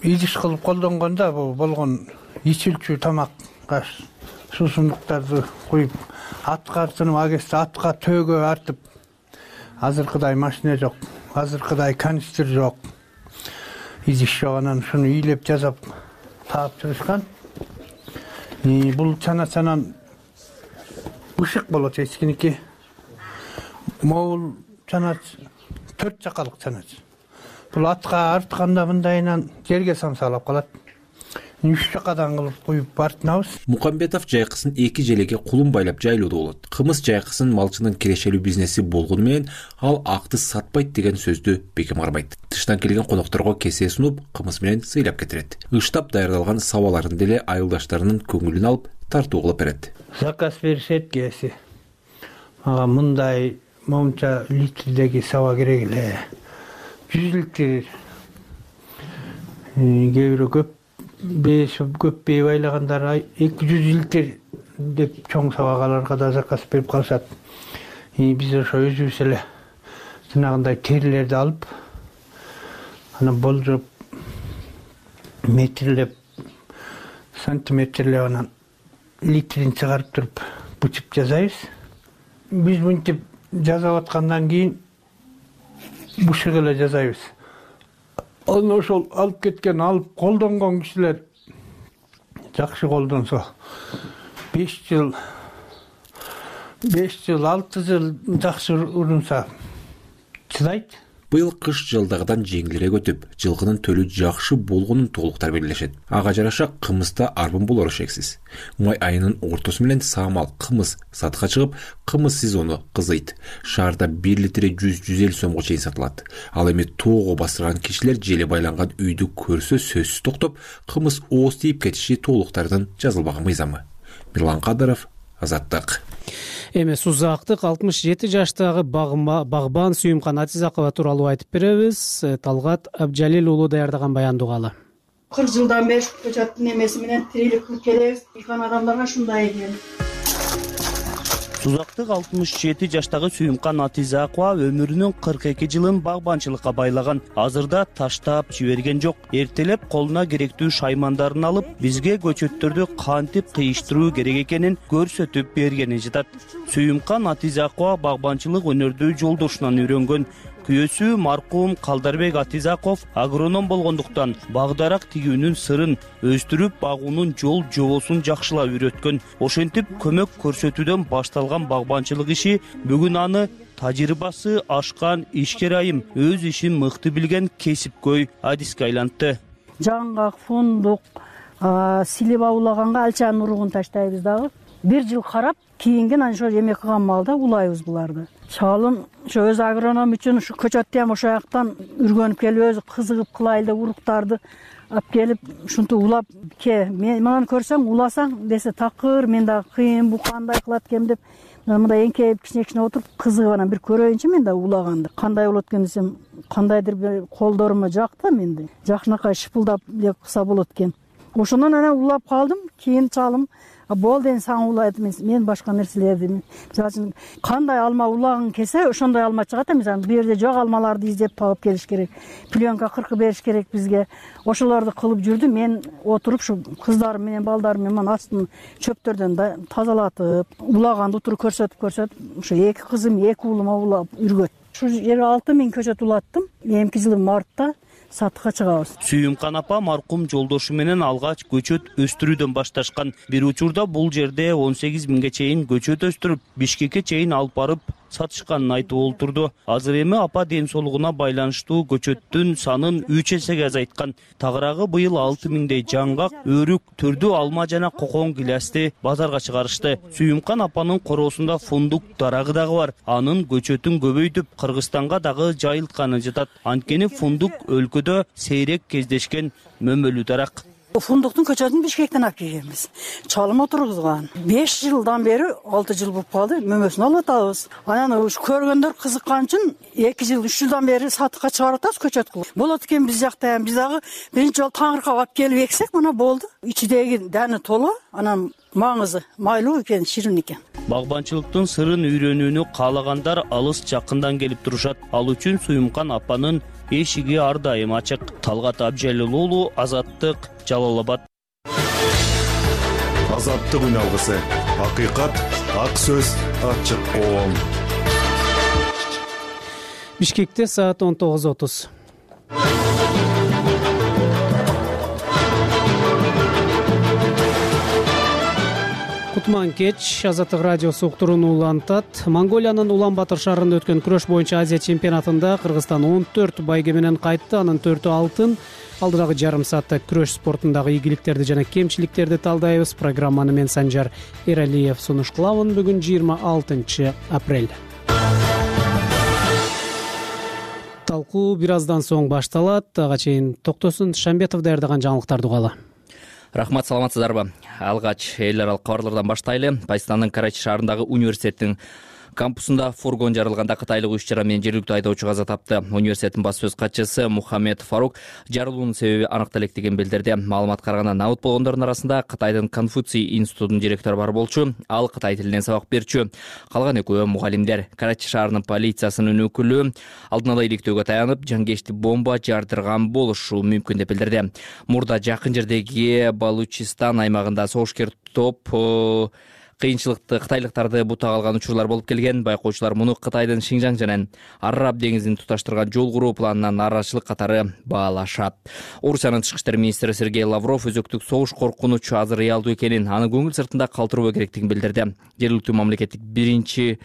идиш кылып колдонгондо бул болгон ичилчү тамак, суусундуктарды куюп, атка артынып, агесте атка төөгө артып, азыркыдай машина жок, азыркыдай канистр жок, идиш жок, анан шуну ыйлеп жасап таап чыгышкан. Бул чаначанан ышык болот эчкиники. Могул чанач 4 жакалык чанач. Бул атка артканда мындайынан жерге самсалап калат. 3 жакадан кылып куюп артынабыз. Мукамбетов жайкысын 2 желеге кулун байлап жайлоодо болот. Кымыз жайкысын малчынын кирешелүү бизнеси болгону менен ал акты сатпайт деген сөздү бекем карбайт. Тыштан келген конокторго кесе сунуп, кымыз менен сыйлап кетирет. Ыштап даярдалган сабаларын деле айылдаштарынын көңүлүн алып, тартуу кылып берет. Заказ беришет кээси. Ага мындай момча литрдеги саба керек эле. 100 литр. Кээ бирөө көппей байлагандар 200 литр деп чоң сабагаларга да заказ берип калышат. Биз ошо өзүбүз эле жанагындай терилерди алып, анан болжоп метрлеп, сантиметрлеп, анан литрин чыгарып туруп бычып жасайбыз. Биз мынтип жасап аткандан кийин бушык эле жасайбыз. Анан ошол алып кеткен, алып колдонгон кишилер жакшы колдонсо 5 жыл, 6 жыл жакшы урунса чыдайт. Быйыл кыш жылдагыдан жеңилирээк өтүп, жылкынын төлү жакшы болгонун тоолуктар белгилешет. Ага жараша кымызда арбын болору шексиз. Май айынын ортосу менен саамал кымыз сатка чыгып, кымыз сезону кызыйт. Шаарда 1 литри 100-150 сомго чейин сатылат. Ал эми тоого басырган кишилер желе байланган үйдү көрсө сөзсүз токтоп, кымыз ооз тийип кетиши тоолуктардын жазылбаган мыйзамы. Мирлан Кадыров, Азаттык. Эмес узактык 67 жаштагы багбан Сүйүмкан Атизакова тууралуу айтып беребиз. Талгат Абжалил уулу даярдаган баянды угалы. 40 жылдан бери көчөттүн эмеси менен тирилик кылып келебиз. Ийган адамдарга шундай экен. Узактык 67 жаштагы Сүйүмкан Атизакова өмүрүнүн 42 жылын багбанчылыкка байлаган. Азырда таштап жиберген жок. Эртелеп колуна керектүү шаймандарын алып, бизге көчөттөрдү кантип кыйыштыруу керек экенин көрсөтүп бергени жатат. Сүйүмкан Атизакова багбанчылык өнөрдү жолдошунан үйрөнгөн. Күйөөсү маркум Калдарбек Атизаков агроном болгондуктан багдарак тигүүнүн сырын, өстүрүп багуунун жол жобосун жакшылап үйрөткөн. Ошентип көмөк көрсөтүүдөн башталган багбанчылык иши бүгүн аны тажрыйбасы ашкан ишкер айым, өз ишин мыкты билген кесипкөй адиске айлантты. Жаңгак, фундук, силип аулаганга алчанын уругун таштайбыз дагы. 1 жыл карап, кийинген ошо эмек кылган маалда улайбыз буларды. Шалым ошо өз агроном үчүн ушу көчөттү ham ошо жактан үргөнүп келип, өзү кызыгып кылайлы деп уруктарды алып келип, ушинтип улап, мен мынаны көрсөң уласаң десе такыр, мен дагы кыйын, бу кандай кылат экен деп, мындай эңкейип кичине отуруп кызыгып анан бир көрөйүнчү мен да улаганды. Кандай болот экен десем, кандайдыр бир колдорума жакты менде. Жакшынакай шыпылдап эле кылса болот экен. Ошондон анан улап калдым, кийин чалым болду, эми сага улайт эмес, мен башка нерселерди. Мисалы үчүн кандай алма улагың келсе, ошондой алма чыгат. Мисалы бу жерде жок алмаларды издеп таап келиш керек. Пленка кыркы бериш керек бизге. Ошолорду кылып жүрдүм. Мен отуруп ушу кыздарым менен балдарым менен астын чөптөрдөн тазалатып, улаганды утуруп көрсөтүп, ушу 2 кызым, 2 уулума улап үргөт. Ушу жерге 6000 көчөт улаттым. Эмки жылы мартта сатыкка чыгабыз. Сүйүмкан апа маркум жолдошу менен алгач көчөт өстүрүүдөн башташкан. Бир учурда бул жерде 18 миңге чейин көчөт өстүрүп, Бишкекке чейин алып барып сатышканын айтып олтурду. Азыр эми апа ден соолугуна байланыштуу көчөттүн санын 3 эсеге азайткан. Тагыраагы быйыл 6 миңдей жаңгак, өрүк, түрдүү алма жана кокон гилясты базарга чыгарышты. Сүйүмкан апанын короосунда фундук дарагы дагы бар. Анын көчөтүн көбөйтүп, Кыргызстанга дагы жайылтканы жатат. Анткени фундук өлкөдө сейрек кездешкен мөмөлүү дарак. Фундуктун көчөтүн Бишкектен алып келгенбиз. Чалым отургузган. 5 жылдан бери, 6 жыл болуп калды, мөмөсүн алып атабыз. Анан көргөндөр кызыккан үчүн 2 жыл, 3 жылдан бери сатыкка чыгарып атабыз көчөт кылып. Болот экен биз жакта, биз дагы биринчи жолу таңыркап алып келип эксек, мына болду. Ичидеги дәни тола, анан маңызы майлуу экен, ширин экен. Багбанчылыктын сырын үйрөнүүнү каалагандар алыс жакындан келип турушат. Ал үчүн Сүйүмкан апанын эшиги ар дайым ачык. Талгат Абжалил уулу, Азаттык, Жалал Абад. Азаттык үн алгысы. Акыйкат, ак сөз, ачык коом. Бишкекте саат 19:30. Кутман кеч, Азаттык радиосу уктурууну улантат. Монголиянын Улан-Батыр шаарында өткөн күрөш боюнча Азия чемпионатында Кыргызстан 14 байге менен кайтты. Анын 4-ү алтын. Алдыдагы жарым саатта күрөш спортундагы ийгиликтерди жана кемчиликтерди талдайбыз. Программаны мен Санжар Эралиев сунуш кылабын. Бүгүн 26 апрель. Талкуу бир аздан соң башталат. Ага чейин Токтосун Шамбетов даярдаган жаңылыктарды угалы. Рахмат, саламатсыздарбы? Алгач эл аралык кабарлардан баштайлы. Пакистандын Карачи шаарындагы университеттин кампусунда фургон жарылганда кытайлык 3 жара менен жергиликтүү айдоочу каза тапты. Университеттин баш сөз катчысы Мухаммед Фарук жарылуунун себеби аныктала электигин билдирди. Маалыматка караганда набыт болгондордун арасында Кытайдын Конфуций институтунун директору бар болчу, ал кытай тилинен сабак берчү. Калган экөө мугалимдер. Карачи шаарынын полициясынын өкүлү алдын ала иликтөөгө таянып, жангечти бомба жардырган болушу мүмкүн деп билдирди. Мурда жакын жердеги Балучистан аймагында согушкер топ кыйынчылыкты кытайлыктарды бутага алган учурлар болуп келген. Байкоочулар муну Кытайдын Шинжаң жана Араб деңизин туташтырган жол куруу планына нааразычылык катары баалашат. Орусиянын тышкы иштер министри Сергей Лавров өзөктүк согуш коркунучу азыр реалдуу экенин, аны көңүл сыртында калтырбоо керектигин билдирди. Жергиликтүү мамлекеттик биринчи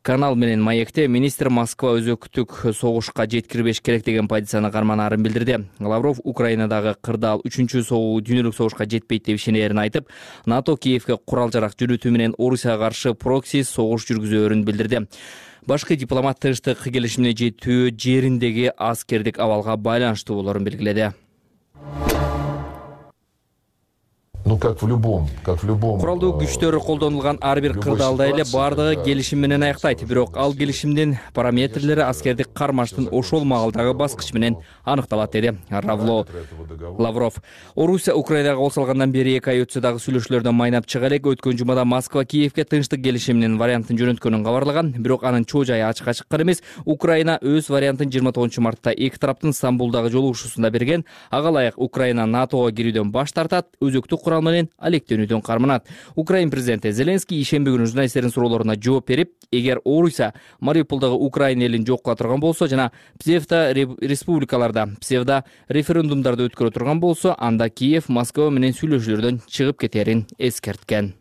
канал менен маекте министр Москва өзөктүк согушка жеткирбеш керек деген позицияны карманаарын билдирди. Лавров Украинадагы кырдаал 3-чү дүйнөлүк согушка жетпейт деп ишенерин айтып, НАТО Киевге курал-жарак жөнөтүү менен Орусияга каршы прокси согуш жүргүзөөрүн билдирди. Башкы дипломат тынчтык келишимине жетүү жериндеги аскердик абалга байланыштуу болоорун белгиледи. Куралдуу күчтөр колдонулган ар бир кырдаалда эле бардыгы келишим менен аяктайт. Бирок ал келишимдин параметрлери аскердик кармаштын ошол маалдагы баскыч менен аныкталат, деди Лавров. Орусия Украинага кол салгандан бери 2 ай өтсө дагы сүйлөшүүлөрдөн майнап чыга элек. Өткөн жумада Москва Киевге тынчтык келишиминин вариантын жөнөткөнүн кабарлаган. Бирок анын чоо жайы ачыкка чыккан эмес. Украина өз вариантын 29 мартта эки тараптын Стамбулдагы жолугушуусунда берген. Ага ылайык Украина НАТОго кирүүдөн баш тартат, өзөктүк курал менен алектенүүдөн карманат. Украин президенти Зеленский ишемби күнү журналисттердин суроолоруна жооп берип, эгер Орусия Мариуполдогу Украина элин жок кыла турган болсо жана республикаларда псевдо референдумдарды өткөрө турган болсо, анда Киев Москва менен сүйлөшүүлөрдөн чыгып кетерин эскерткен.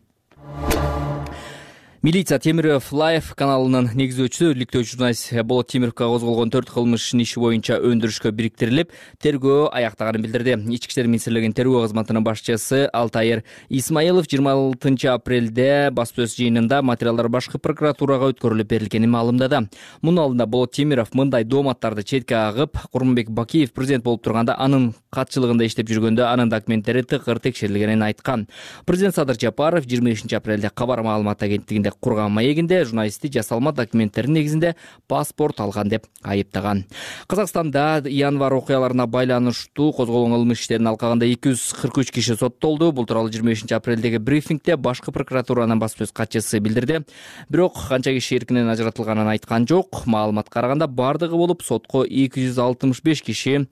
Милиция Темиров Лайв каналынын негиздөөчүсү, иликтөөчү журналист Болот Темировго козголгон 4 кылмыш иши боюнча өндүрүшкө бириктирилип, тергөө аяктаганын билдирди. Ички иштер министрлигинин тергөө кызматынын башчысы Алтайыр Исмаилов 26 апрелде баспасөз жыйынында материалдар башкы прокуратурага өткөрүлүп берилгенин маалымдады. Мунун алдында Болот Темиров мындай дооматтарды четке агып, Курманбек Бакиев президент болуп турганда анын катчылыгында иштеп жүргөндө анын документтери тыкыр текшерилгенин айткан. Президент Садыр Жапаров 25 апрелде Кабар маалымат агенттигинде курган маегинде журналистти жасалма документтердин негизинде паспорт алган деп айыптаган. Казакстанда январь окуяларына байланыштуу козголгон кылмыш иштерин алкаганда 243 киши соттолду. Бул тууралуу 25 апрелдеги брифингде башкы прокуратуранын баспасөз катчысы билдирди. Бирок канча киши эркинен ажыратылганын айткан жок. Маалыматка караганда бардыгы болуп сотко 265 киши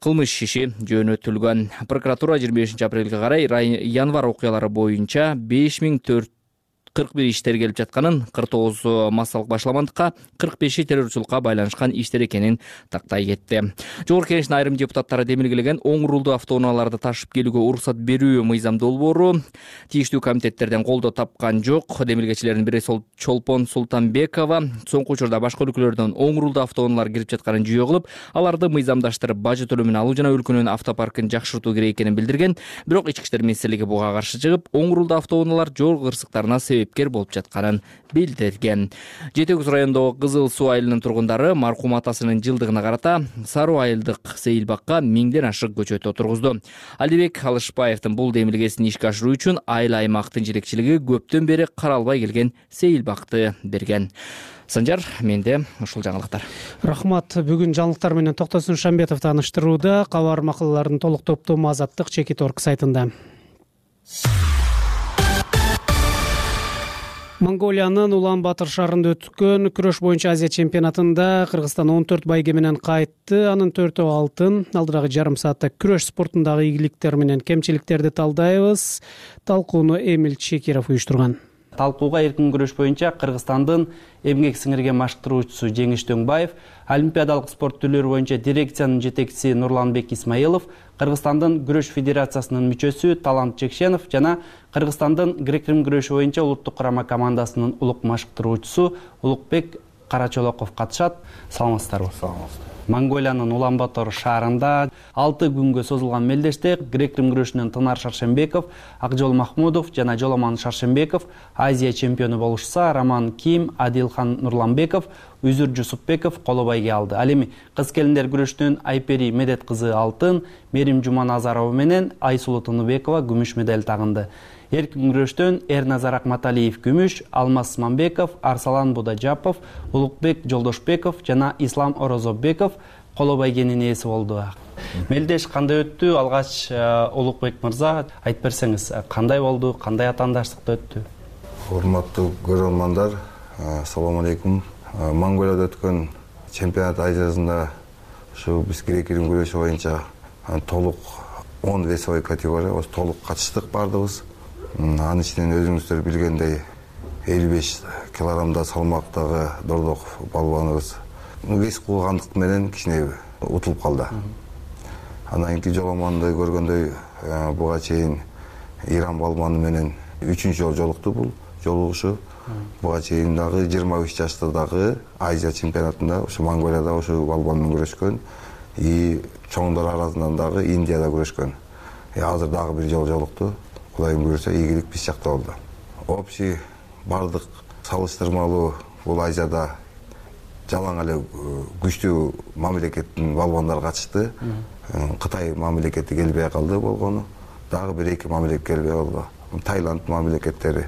кылмыш иши жөнөтүлгөн. Прокуратура 25 апрелге карай январь окуялары боюнча 5400 41 иш тергелип жатканын, 49 массалык башаламандыкка, 45 террорчулукка байланышкан иштер экенин тактай кетти. Жогорку Кеңештин айрым депутаттары демилгелеген оң рулдуу автоунааларды ташып келүүгө уруксат берүү мыйзам долбоору тийиштүү комитеттерден колдоо тапкан жок. Демилгечилердин бири Чолпон Султанбекова соңку учурда башка өлкөлөрдөн оң рулдуу автоунаалар кирип жатканын жүйө кылып, аларды мыйзамдаштырып, бажы төлөмүн алуу жана өлкөнүн автопаркын жакшыртуу керек экенин билдирген. Бирок Ички иштер министрлиги буга каршы чыгып, оң рулдуу автоунаалар жол кырсыктарына себепкер болуп жатканын билдирген. Жети Өгүз районундагы Кызыл Суу айылынын тургундары маркум атасынын жылдыгына карата Саруу айылдык сейилбакка 1000ден ашык көчөт отургузду. Алибек Алышбаевдин бул демилгесин ишке ашыруу үчүн айыл аймактын жетекчилиги көптөн бери каралбай келген сейилбакты берген. Санжар, менде ушул жаңылыктар. Рахмат. Бүгүн жаңылыктар менен Токтосун Шамбетов тааныштырууда. Кабар макалалардын толук топтому Азаттык Чекит.орг сайтында. Монголиянын Улан-Батыр шаарында өткөн күрөш боюнча Азия чемпионатында Кыргызстан 14 байге менен кайтты. Анын 4 алтын. Алдырагы жарым саатта күрөш спортундагы ийгиликтер менен кемчиликтерди талдайбыз. Талкууну Эмил Чекиров уюштурган. Талкууга эркин күрөш боюнча Кыргызстандын эмгек сиңирген маштыруучусу Жеңиш Дөңбаев, олимпиадалык спорт түрлөрү боюнча дирекциянын жетекчиси Нурланбек Исмаилов, Кыргызстандын күрөш федерациясынын мүчөсү Талант Чекшенов жана Кыргызстандын грек-рим күрөшү боюнча улуттук курама командасынын улук маштыруучусу Улукбек Карачолоков катышат. Саламатсыздарбы? Саламатсыздар. Монголиянын Улан-Батор шаарында 6 күнгө созулган мелдеште грек-рим күрөшүнөн Тынар Шаршембеков, Акжол Махмудов жана Жоломан Шаршембеков Азия чемпиону болушса, Роман Ким, Адилхан Нурланбеков, Үзүр Жусупбеков коло байге алды. Ал эми кыз келиндер күрөшүнөн Айпери Медет кызы алтын, Мерим Жуманазарова менен Айсулу Тыныбекова күмүш медаль тагынды. Эркин күрөштөн Эрназар Акматалиев күмүш, Алмаз Смамбеков, Арсалан Будажапов, Улукбек Жолдошбеков жана Ислам Орозобеков коло байгенин ээси болду. Мелдеш кандай өттү? Алгач Улукбек мырза айтып берсеңиз, кандай болду? Кандай атаандаштыкта өттү? Урматтуу көрөрмандар, assalomu alaykum. Монголияда өткөн чемпионат Азиясында ушу биз грек-рим күрөшү боюнча толук 10 весовой категория толук катыштык бардыгыбыз. Анын ичинен өзүңүздөр билгендей 55 килограммда салмактагы Дордок балбаныбыз вес кылгандык менен кичине утулуп калды. Андан кийин Жоломанды көргөндөй буга чейин Иран балбаны менен 3-үчү жолу жолукту бул жолугушу. Буга чейин дагы 23 жаштардагы Азия чемпионатында ушу Монголияда ушу балбан менен күрөшкөн. Чоңдор арасынан дагы Индияда күрөшкөн. Азыр дагы бир жолу жолукту. Кудайым буйрса, ийгилик биз жакта болду. Общий бардык салыштырмалуу бул Азияда жалаң эле күчтүү мамлекеттин балбандары катышты. Кытай мамлекети келбей калды болгону. Дагы бир эки мамлекет келбей калды. Таиланд мамлекеттери.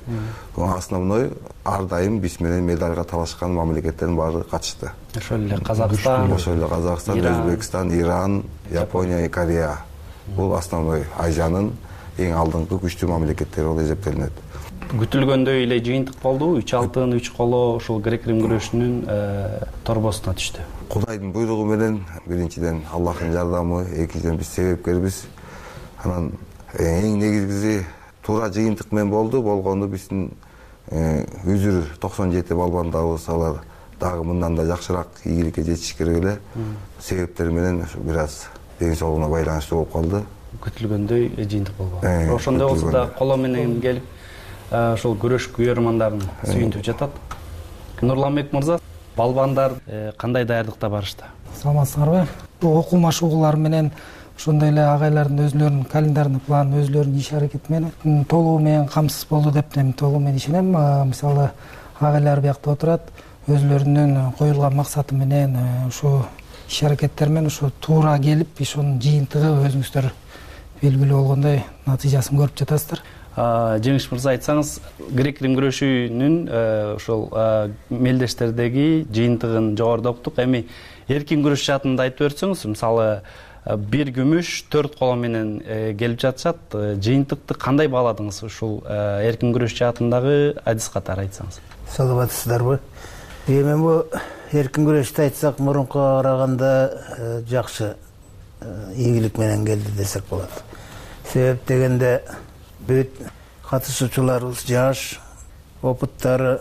Основной ар дайым биз менен медальга талашкан мамлекеттердин баары катышты. Ошол эле Казакстан, Өзбекстан, Иран, Япония, Корея. Бул основной Азиянын эң алдыңкы күчтүү мамлекеттери болуп эсептелинет. Күтүлгөндөй эле жыйынтык болду. 3 алтын, 3 коло ушул грек-рим күрөшүнүн торбосуна түштү. Кудайдын буйругу менен биринчиден Аллахтын жардамы, экинчиден биз себепкербиз. Анан эң негизгиси туура жыйынтык менен болду. Болгону биздин Үзүр 97 балбандабыз, алар дагы мындан да жакшыраак ийгиликке жетиш керек эле. Себептер менен бир аз ден соолугуна байланыштуу болуп калды. Күтүлгөндөй жыйынтык болбоду. Ошондой болсо да коло менен келип ошол күрөш күйөрмандарын сүйүнтүп жатат. Нурланбек мырза, балбандар кандай даярдыкта барышты? Саламатсыздарбы? Окуу машыгуулары менен ошондой эле агайлардын өзүлөрүнүн календарный планы, өзүлөрүнүн иш аракети менен толугу менен камсыз болду деп мен толугу менен ишенем. Мисалы агайлар биякта отурат, өзүлөрүнүн коюлган максаты менен ушу иш аракеттер менен ушу туура келип, ошонун жыйынтыгы өзүңүздөр белгилүү болгондой натыйжасын көрүп жатасыздар. Жеңиш мырза, айтсаңыз, грек-рим күрөшүнүн ошол мелдештердеги жыйынтыгын жогоруда уктук. Эми эркин күрөш жаатында айтып берсеңиз, мисалы бир күмүш 4 коло менен келип жатышат. Жыйынтыкты кандай бааладыңыз ушул эркин күрөш жаатындагы адис катары айтсаңыз? Саламатсыздарбы? Эми бу эркин күрөштү айтсак, мурункуга караганда жакшы ийгилик менен келди десек болот. Себеп дегенде бүт катышуучуларыбыз жаш, опыттары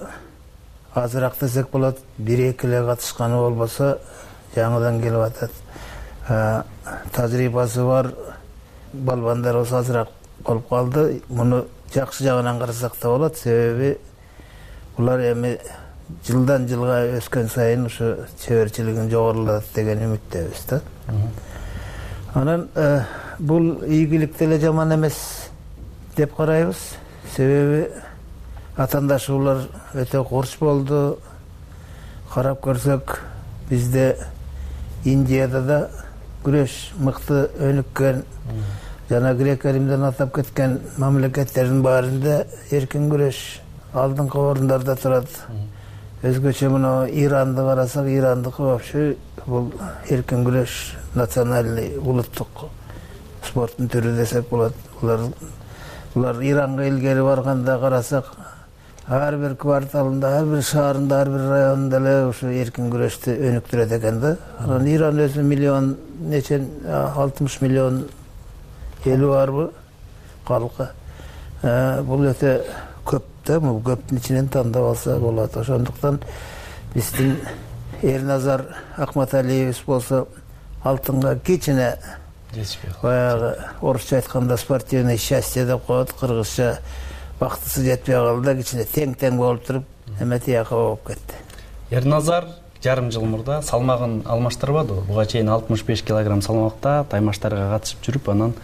азыраак десек болот. 1-2 эле катышканы болбосо жаңыдан келип атат. Тажрыйбасы бар балбандар болсо азыраак болуп калды. Муну жакшы жагынан карасак да болот. Себеби булар эми жылдан жылга өскөн сайын ушу чеберчилигин жогорулат деген үмүттөбүз да. Анан бул ийгилик деле жаман эмес деп карайбыз. Себеби атаандашуулар өтө курч болду. Карап көрсөк, бизде Индияда да күрөш мыкты өнүккөн, жана Грек Римден атап кеткен мамлекеттердин баарында эркин күрөш алдыңкы орундарда турат. Өзгөчө мына Иранды карасак, Ирандыкы вообще бул эркин күрөш национальный улуттук спорттун түрү десек болот. Булар Иранга илгери барганда карасак, ар бир кварталында, ар бир шаарында, ар бир районунда эле ушу эркин күрөштү өнүктүрөт экен да. Анан Иран өзү миллион, нече 60 миллион эли барбы калкы. Бул өтө көп да, бул көптүн ичинен тандап алса болот. Ошондуктан биздин Эрназар Акматалиевич болсо алтынга кичине баягы орусча айтканда спортивное счастье деп коет, кыргызча бактысы жетпей калды, кичине тең болуп туруп эме тияка болуп кетти. Эрназар жарым жыл мурда салмагын алмаштырбады. Буга чейин 65 килограмм салмакта таймаштарга катышып жүрүп, анан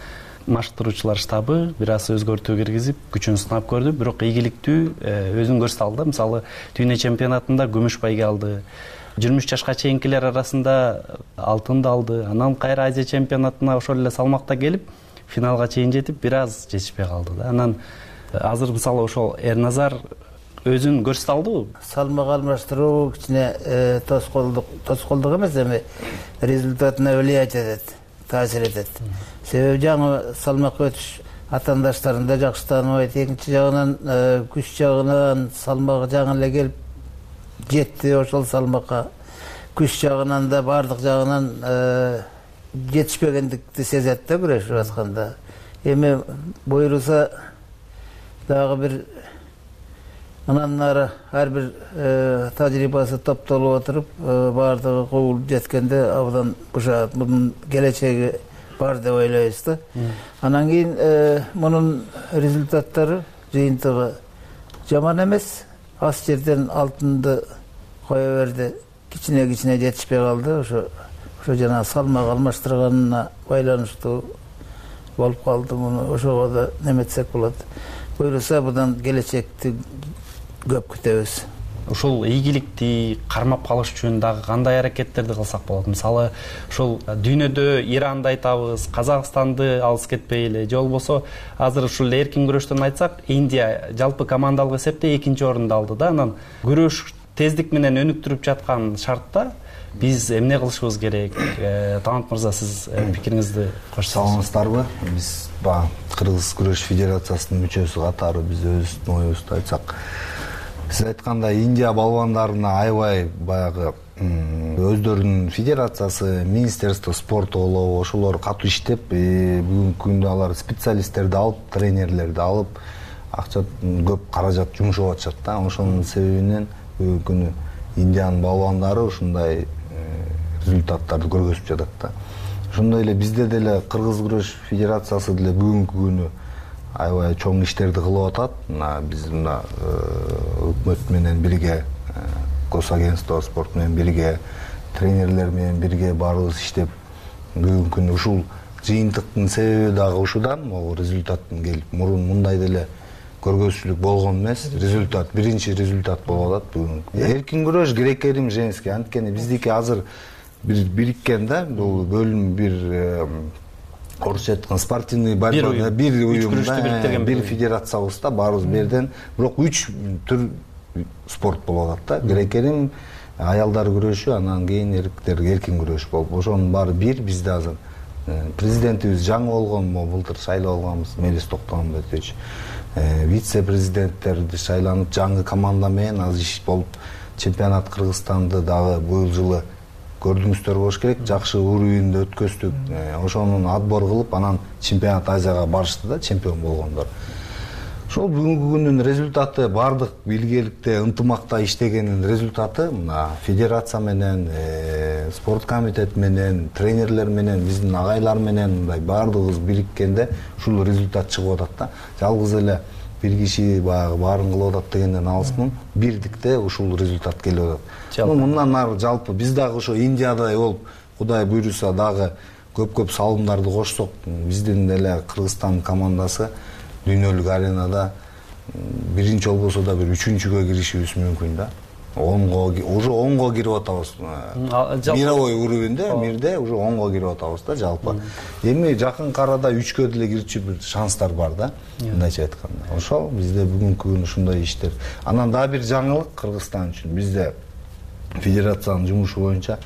машыктыруучулар штабы бир аз өзгөртүү киргизип, күчүн сынап көрдү. Бирок ийгиликтүү өзүн көрсөтүп алды. Мисалы, дүйнө чемпионатында күмүш байге алды. 23 жашка чейинкилер арасында алтынды алды. Анан кайра Азия чемпионатына ошол эле салмакта келип, финалга чейин жетип, бир аз жетишпей калды да. Анан азыр мисалы ошол Эрназар өзүн көрсөтө алдыбы? Салмак алмаштыруу кичине тоскоолдук эмес, эми результатына влиять этет, таасир этет. Себеби жаңы салмакка өтүш атаандаштарында жакшы тааныбайт. Экинчи жагынан күч жагынан салмагы жаңы эле келип жетти ошол салмакка. Күч жагынан да баардык жагынан жетишпегендикти сезет да күрөшүп атканда. Эми буйруса дагы бир анан нары ар бир тажрыйбасы топтолуп отуруп, баардыгы кубулуп жеткенде абдан бушаат. Мунун келечеги бар деп ойлойбуз да. Анан кийин мунун результаттары, жыйынтыгы жаман эмес. Аз жерден алтынды кое берди. Кичине жетишпей калды. Ошо жана салмак алмаштырганына байланыштуу болуп калды. Муну ошого да неметсек болот. Буюрса будан келечекти көп күтөбүз. Ошол ийгиликти кармап калыш үчүн дагы кандай аракеттерди кылсак болот? Мисалы, ошол дүйнөдө Иранды айтабыз, Казакстанды алыс кетпей эле, же болбосо азыр ушул эркин күрөштөн айтсак, Индия жалпы командалык эсепте 2-орунду алды да. Анан күрөш тездик менен өнүктүрүп жаткан шартта биз эмне кылышыбыз керек? Талант мырза, сиз пикириңизди кошсоңуз. Саламатсыздарбы? Биз Кыргыз күрөш федерациясынын мүчөсү катары биз өзүбүздүн оюбузду айтсак, сиз айткандай Индия балбандарына аябай баягы өздөрүнүн федерациясы, министерство спорта болобу, ошолор катуу иштеп, бүгүнкү күндө алар специалисттерди алып, тренерлерди алып, акча көп каражат жумшап атышат да. Ошонун себебинен бүгүнкү күнү Индиянын балбандары ушундай результаттарды көргөзүп жатат да. Ошондой эле бизде деле Кыргыз күрөш федерациясы деле бүгүнкү күнү аябай чоң иштерди кылып атат. Биз мына өкмөт менен бирге, госагентство спорт менен бирге, тренерлер менен бирге баарыбыз иштеп, бүгүнкү күнү ушул жыйынтыктын себеби дагы ушудан, могу результаттын келип, мурун мындай деле көргөзчүлүк болгон эмес, результат, биринчи результат болуп атат бүгүнкү. Эркин күрөш Грек Рим женский, анткени биздики азыр бир бириккен да, бул бөлүм бир орусча айткан спортивный борьба, бир уюм, бир федерациябызда баарыбыз берден, бирок 3 түр спорт болуп атат да. Грек Рим, аялдар күрөшү, анан кийин эркектер эркин күрөш болуп. Ошонун баары бир. Бизде азыр президентибиз жаңы болгон, былтыр шайлап алганбыз, Мелис Токтогонбекович. Вице-президенттерди шайланып, жаңы команда менен азыр иш болуп, чемпионат Кыргызстанды дагы быйыл жылы көрдүңүздөр болуш керек, жакшы уровеньде өткөздүк. Ошонун отбор кылып, анан чемпионат Азияга барышты да, чемпион болгондор. ошол бүгүнкү күндүн результаты, баардык биргеликте ынтымакта иштегендин результаты мына федерация менен, спорт комитет менен, тренерлер менен, биздин агайлар менен мындай баардыгыбыз бириккенде ушул результат чыгып атат да. Жалгыз эле бир киши баягы баарын кылып атат дегенден алыспын. Бирдикте ушул результат келип атат. Мындан ары жалпы биз дагы ошо Индиядай болуп, Кудай буйруса дагы көп салымдарды кошсок, биздин эле Кыргызстан командасы дүйнөлүк аренада биринчи болбосо да бир үчүнчүгө киришибиз мүмкүн да. Уже 10го кирип атабыз. Мировой уровеньде, мирде уже 10го кирип атабыз да жалпы. Эми жакынкы арада 3кө деле кирчү бир шанстар бар да. Мындайча айтканда. Ошол бизде бүгүнкү күн ушундай иштер. Анан дагы бир жаңылык Кыргызстан үчүн. Бизде федерациянын жумушу боюнча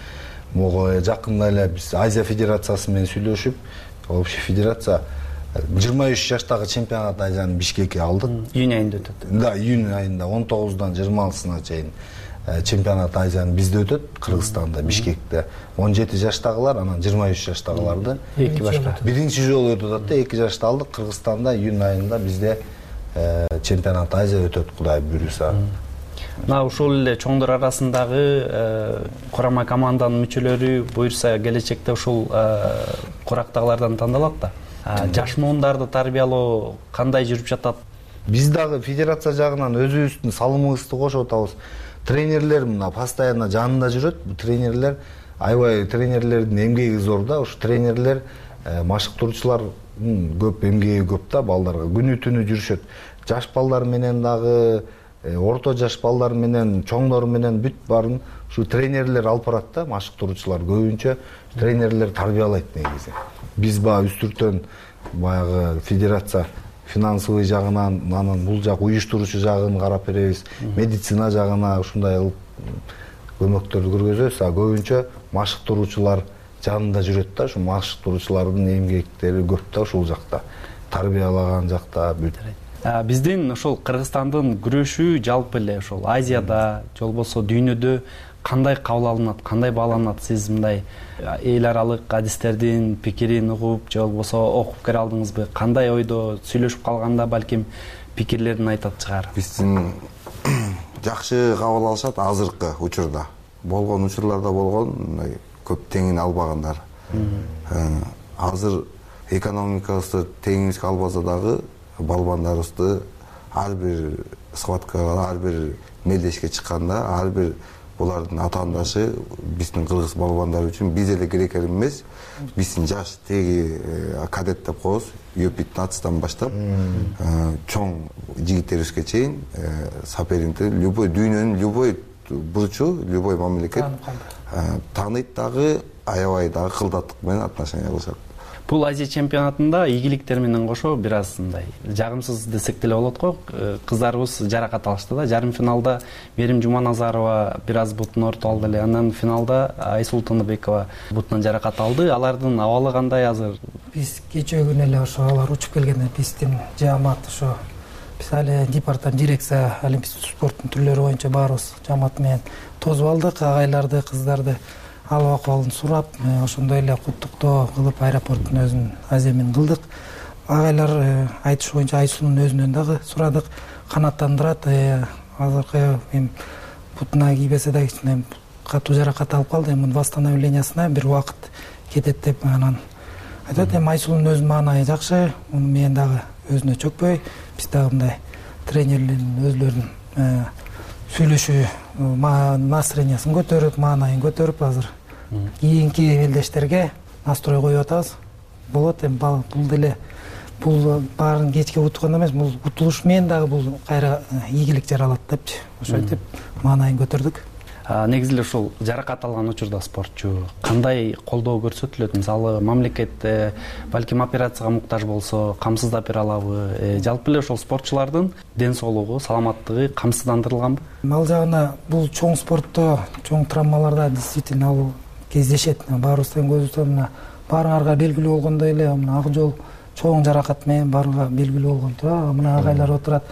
могу жакында эле биз Азия федерациясы менен сүйлөшүп, общий федерация 23 жаштагы чемпионат Азияны Бишкекке алдык. Июнь айында өтөт. Да, июнь айында 19-дан 26-сына чейин чемпионат Азияны бизде өтөт, Кыргызстанда, Бишкекте. 17 жаштагылар, анан 23 жаштагыларды эки башка. Биринчи жолу өтүп атат да, 2 жашты алдык. Кыргызстанда июнь айында бизде чемпионат Азия өтөт, Кудай буйруса. Мына ушул эле чоңдор арасындагы курама команданын мүчөлөрү буйруса келечекте ушул курактагылардан тандалат да. Жаш муундарды тарбиялоо кандай жүрүп жатат? Биз дагы федерация жагынан өзүбүздүн салымыбызды кошуп атабыз. Тренерлер мына постоянно жанында жүрөт. Бул тренерлер аябай тренерлердин эмгеги зор да. Ушу тренерлер машыктыруучулар көп эмгеги көп да балдарга. Күнү түнү жүрүшөт. Жаш балдар менен дагы орто жаш балдар менен, чоңдор менен бүт баарын ушу тренерлер алып барат да, машыктыруучулар көбүнчө тренерлер тарбиялайт негизи. Биз баягы үстүртөн баягы федерация финансовый жагынан, анан бул жак уюштуруучу жагын карап беребиз, медицина жагына ушундай көмөктөрдү көргөзөбүз. Көбүнчө машыктыруучулар жанында жүрөт да, ушу машыктыруучулардын эмгектери көп да ушул жакта, тарбиялаган жакта бүт. Биздин ошол Кыргызстандын күрөшү жалпы эле ошол Азияда, же болбосо дүйнөдө кандай кабыл алынат, кандай бааланат? Сиз мындай эл аралык адистердин пикирин угуп, же болбосо окуп көре алдыңызбы? Кандай ойдо сүйлөшүп калганда балким пикирлерин айтат чыгар? Биздин жакшы кабыл алышат азыркы учурда. Болгон учурларда болгон мындай көп теңин албагандар. Азыр экономикабызды теңибизге албаса дагы балбандарыбызды ар бир схваткага, ар бир мелдешке чыкканда, ар бир булардын атаандашы биздин кыргыз балбандары үчүн биз эле керек эмес, биздин жаш теги кадет деп коебуз, Ю-15 баштап чоң жигиттерибизге чейин соперникти любой дүйнөнүн любой бурчу, любой мамлекет тааныйт дагы, аябай дагы кылдаттык менен отношение кылышат. Бул Азия чемпионатында ийгиликтер менен кошо бир аз мындай жагымсыз десек деле болот го. Кыздарыбыз жаракат алышты да. Жарым финалда Мерим Жуманазарова бир аз бутун ортуп алды эле. Анан финалда Айсул Тыныбекова бутунан жаракат алды. Алардын абалы кандай азыр? Биз кечээ күнү эле ошо алар учуп келгенде биздин жаамат ошо биз али департамент дирекция олимпийский спорттун түрлөрү боюнча баарыбыз жаамат менен тосуп алдык, агайларды, кыздарды алып акыбалын сурап, ошондой эле куттуктоо кылып аэропорттун өзүн Азия менен кылдык. Агайлар айтыш боюнча Айсулдун өзүнөн дагы сурадык, канаттандырат. Азыркы эми бутуна кийбесе да кичине катуу жаракат алып калды. Эми восстановлениясына бир убакыт кетет деп анан айтат. Эми Айсулдун өзүнүн маанайы жакшы, муну менен дагы өзүнө чөкпөй, биз дагы мындай тренерлердин өзлөрүнүн сүйлөшүү настроениясын көтөрүп, маанайын көтөрүп азыр кийинки элдештерге настрой коюп атабыз. Болот эми бул деле бул баарын кечке утукканда эмес, бул утулуш менен дагы бул кайра ийгилик жаралат депчи. Ошентип маанайын көтөрдүк. Негизи эле ушул жаракат алган учурда спортчу кандай колдоо көрсөтүлөт? Мисалы, мамлекет балким операцияга муктаж болсо, камсыздап бере алабы? Жалпы эле ошол спортчулардын ден соолугу, саламаттыгы камсыздандырылганбы? Ал жагына бул чоң спортто, чоң травмаларда действительно ал кездешет. Баарыбыздын көзүбүздө мына баарыңарга белгилүү болгондой эле мына ак жол чоң жаракат менен баарыңарга белгилүү болгон тура. Мына агайлар отурат.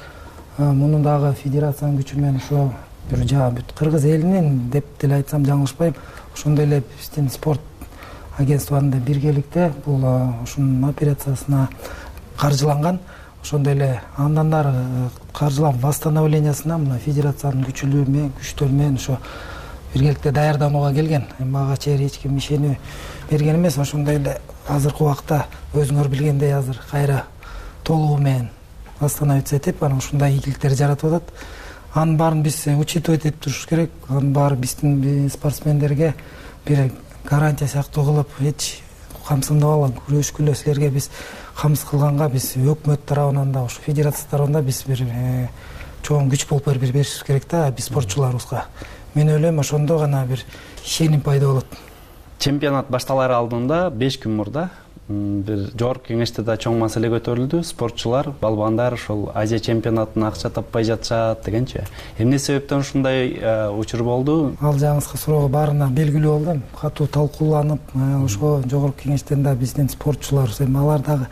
Муну дагы федерациянын күчү менен ошо бир бүт кыргыз элинин деп деле айтсам жаңылышпайм. Ошондой эле биздин спорт агентствосунда биргеликте бул ушунун операциясына каржыланган. ошондой эле андан ары каржылам восстановлениясына мына федерациянын күчтөрү менен ошо биргеликте даярданууга келген. Эми ага чейин эч ким ишенүү берген эмес. Ошондой эле азыркы убакта өзүңөр билгендей азыр кайра толугу менен восстановиться этип анан ушундай ийгиликтер жаратып атат. Анын баарын биз учитывать этип туруш керек. Анын баары биздин спортсмендерге бир гарантия сыяктуу кылып эч камсындабагыла күрөшкүлө силерге биз камсыз кылганга биз өкмөт тарабынан да, ушу федерация тарабынан да биз бир чоң күч болуп беришибиз керек да биз спортчуларыбызга. Мен ойлойм ошондо гана бир ишеним пайда болот. Чемпионат башталар алдында 5 күн мурда бир жогорку кеңеште да чоң маселе көтөрүлдү. Спортчулар, балбандар ошол Азия чемпионатына акча таппай жатышат дегенчи. Эмне себептен ушундай учур болду? Ал жагыңызга суроого баарына белгилүү болду. Катуу талкууланып, ошо жогорку кеңештен да биздин спортчулар эми алар дагы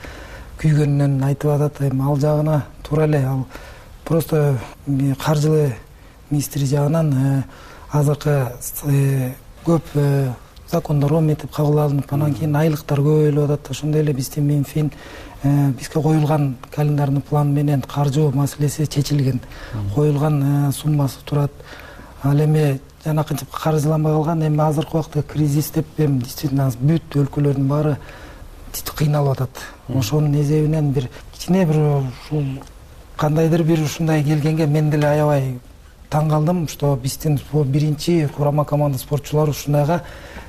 күйгөнүнөн айтып атат. Эми ал жагына туура эле ал просто каржы министри жагынан азыркы көп закондор ометип кабыл алынып, анан кийин айлыктар көбөйүп атат. Ошондой эле биздин Минфин бизге коюлган календарный план менен каржы маселеси чечилген. Коюлган суммасы турат. Ал эми жанакынча каржыланбай калган. Эми азыркы убакта кризис деп эми действительно бүт өлкөлөрдүн баары кыйналып атат. Ошонун эсебинен бир кичине бир ушул кандайдыр бир ушундай келгенге мен деле аябай таң калдым, что биздин биринчи курама команда спортчулары ушундайга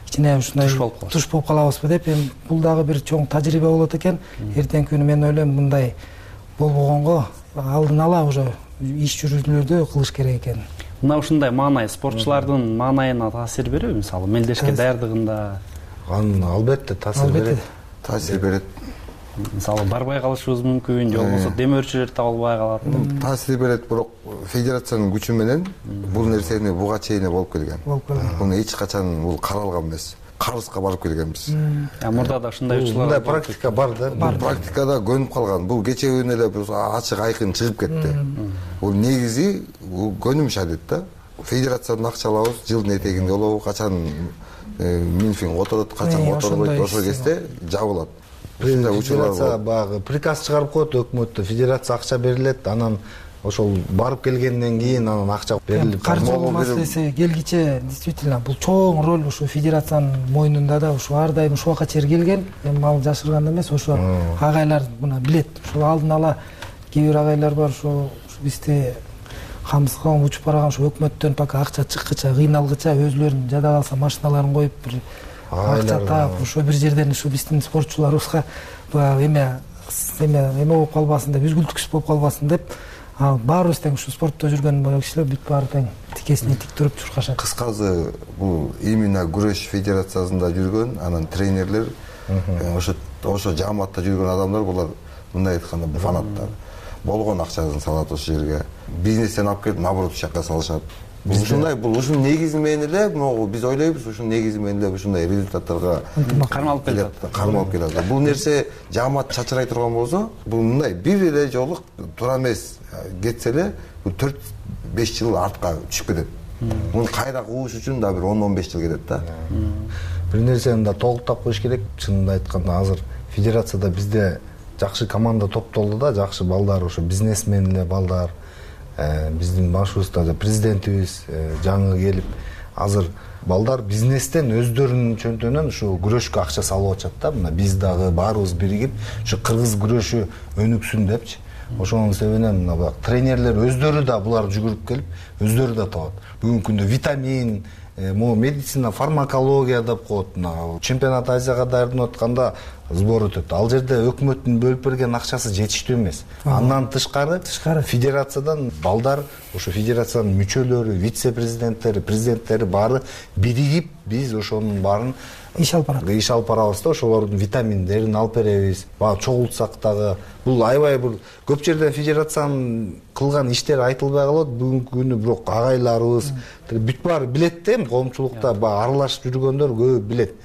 кичине ушундай туш болуп калабызбы деп, эми бул дагы бир чоң тажрыйба болот экен. Эртеңки күнү мен ойлойм мындай болбогонго алдын ала уже иш жүргүзүүлөрдү кылыш керек экен. Мына ушундай маанай спортчулардын маанайына таасир береби? Мисалы мелдешке даярдыгында албетте таасир берет. Таасир берет. Мисалы барбай калышыбыз мүмкүн, же болбосо демөөрчүлөр табылбай калат. Таасир берет, бирок федерациянын күчү менен бул нерсени буга чейин болуп келген. Буну эч качан бул каралган эмес. Карызга барып келгенбиз. Мурда да ушундай учурлар мындай практика бар да. Бул практикада көнүп калган. Бул кече күнү эле ачык айкын чыгып кетти. Бул негизи көнүмүш адет да. Федерациядан акча алабыз, жылдын этегинде болобу, качан Минфин которот, качан которбойт, ошол кезде жабылат. Федерация баягы приказ чыгарып коет өкмөттө, федерация акча берилет, анан ошол барып келгенден кийин анан акча берилип. Каржы маселеси келгиче действительно бул чоң роль ушу федерациянын мойнунда да, ушу ар дайым ушуга чейин келген. Эми ал жашырган эмес, ошо агайлар мына билет. Ушул алдын ала кээ бир агайлар бар, ошо бизди камсызга учуп барган, ушу өкмөттөн пока акча чыккыча, кыйналгыча өзүлөрүнүн жада калса машиналарын коюп бир акча таап, ошо бир жерден ушу биздин спортчуларыбызга эме болуп калбасын деп, үзгүлтүксүз болуп калбасын деп, баарыбыз тең ушу спортто жүргөн кишилер бүт баары тең тикесине тик туруп чуркашат. Кыскасы бул именно күрөш федерациясында жүргөн, анан тренерлер, ошо жааматта жүргөн адамдар, булар мындай айтканда фанаттар. Болгон акчасын салат ошол жерге. Бизнестен алып келип, наоборот, ушул жака салышат. Ушундай бул ушунун негизи менен эле могу биз ойлойбуз, ушунун негизи менен эле ушундай результаттарга кармалып келет. Бул нерсе жаамат чачырай турган болсо, бул мындай бир эле жолу туура эмес кетсе эле, бул 4-5 жыл артка түшүп кетет. Муну кайра кууш үчүн да бир 10-15 жыл кетет да. Бир нерсени да толуктап коюш керек. Чынында айтканда азыр федерацияда бизде жакшы команда топтолду да, жакшы балдар, ошо бизнесмен эле балдар. Биздин башыбызда президентибиз жаңы келип, азыр балдар бизнестен өздөрүнүн чөнтөнөн ушу күрөшкө акча салып атышат да. Мына биз дагы баарыбыз биригип, ушу кыргыз күрөшү өнүксүн депчи. Ошонун себебинен мына тренерлер өздөрү да булар жүгүрүп келип, өздөрү да табат. Бүгүнкү күндө витамин, медицина, фармакология деп коет. Чемпионат Азияга даярданып атканда сбор өтөт. Ал жерде өкмөттүн бөлүп берген акчасы жетиштүү эмес. Андан тышкары федерациядан балдар, ошо федерациянын мүчөлөрү, вице-президенттери, президенттери баары биригип, биз ошонун баарын иш алып барабыз да, ошолордун витаминдерин алып беребиз. Баягы чогултсак дагы бул аябай бул көп жерден федерациянын кылган иштери айтылбай калат. Бүгүнкү күнү бирок агайларыбыз бүт баары билет да, коомчулукта баягы аралашып жүргөндөр көбү билет.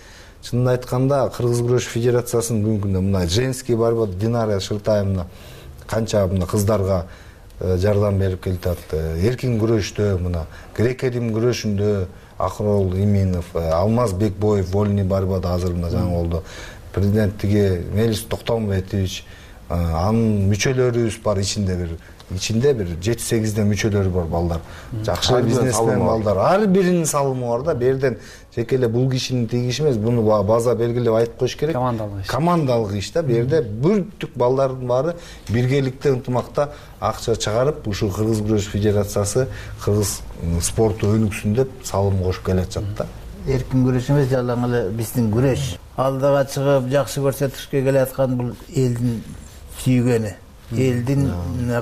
Чынын айтканда Кыргыз күрөш федерациясынын бүгүнкү күндө мына женский борьба Динара Шылтаевна канча мына кыздарга жардам берип келатат. Эркин күрөштө мына грек-рим күрөшүндө Акрол Иминов, Алмаз Бекбоев вольный борьбада азыр мына жаңы болду. Президенттиги Мелис Токтомбетович анын мүчөлөрүбүз бар, ичинде бир 7-8 мүчөлөрү бар балдар. Жакшы бизнесмен балдар. Ар биринин салымы бар да. Бу жерден жеке эле бул кишинин тигиши эмес, буну база белгилеп айтып коюш керек. Командалык иш да. Бу жерде бүттүк балдардын баары биргеликте, ынтымакта акча чыгарып, ушул Кыргыз күрөш федерациясы кыргыз спорту өнүксүн деп салым кошуп келатат да. Эркин күрөш эмес, жалаң эле биздин күрөш. Алдыга чыгып жакшы көрсөтүшкө келаткан бул элдин сүйгөнү. Элдин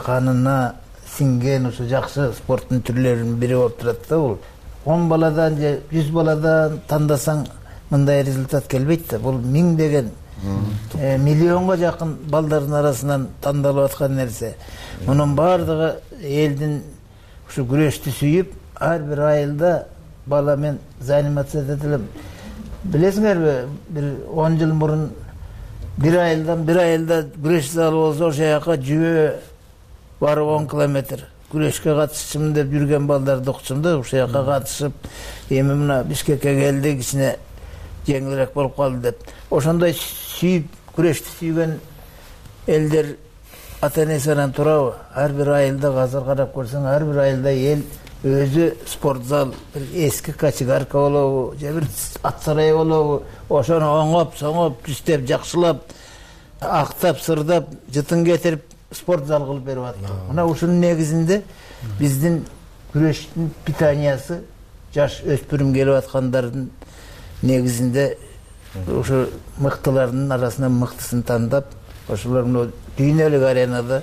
канына сиңген ушу жакшы спорттун түрлөрүнүн бири болуп турат да бул. 10 баладан же 100 баладан тандасаң мындай результат келбейт да. Бул миңдеген, миллионго жакын балдардын арасынан тандалып аткан нерсе. Мунун баардыгы элдин ушу күрөштү сүйүп, ар бир айылда бала мен заниматься этет элем. Билесиңерби, бир 10 жыл мурун bir айылда күрөш залы болсо, ошол жака жүйө барып 10 километр күрөшкө катышчумун деп жүргөн балдарды укчум да. Ошол жака катышып, эми мына Бишкекке келдик, кичине жеңилирээк болуп калды деп. Ошондой сүйүп, күрөштү сүйгөн элдер ата-энесинен турабы? Ар бир айылда азыр карап көрсөң, ар бир айылда эл өзү спортзал, бир эски качегарка болобу, же бир ат сарай болобу, ошону оңоп, соңоп, түстөп, жакшылап, актап, сырдап, жытын кетирип спортзал кылып берип атат. Мына ушунун негизинде биздин күрөштүн питаниясы жаш өспүрүм келип аткандардын негизинде ушу мыктылардын арасынан мыктысын тандап, ошолор дүйнөлүк аренада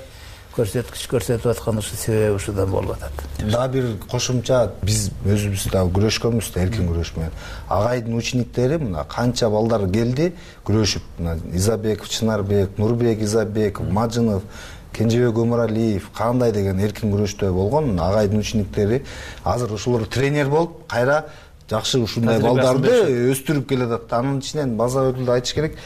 көрсөткүч көрсөтүп аткан ушу себеби ушудан болуп атат. Дагы бир кошумча, биз өзүбүз дагы күрөшкөнбүз да, эркин күрөш менен. Агайдын учениктери мына канча балдар келди күрөшүп, мына Изабеков, Чынарбек, Нурбек Изабеков, Мажынов, Кенжебек Өмүралиев, кандай деген эркин күрөштө болгон агайдын учениктери азыр ушулар тренер болуп, кайра жакшы ушундай балдарды өстүрүп келатат. Анын ичинен база өкүлдү айтыш керек.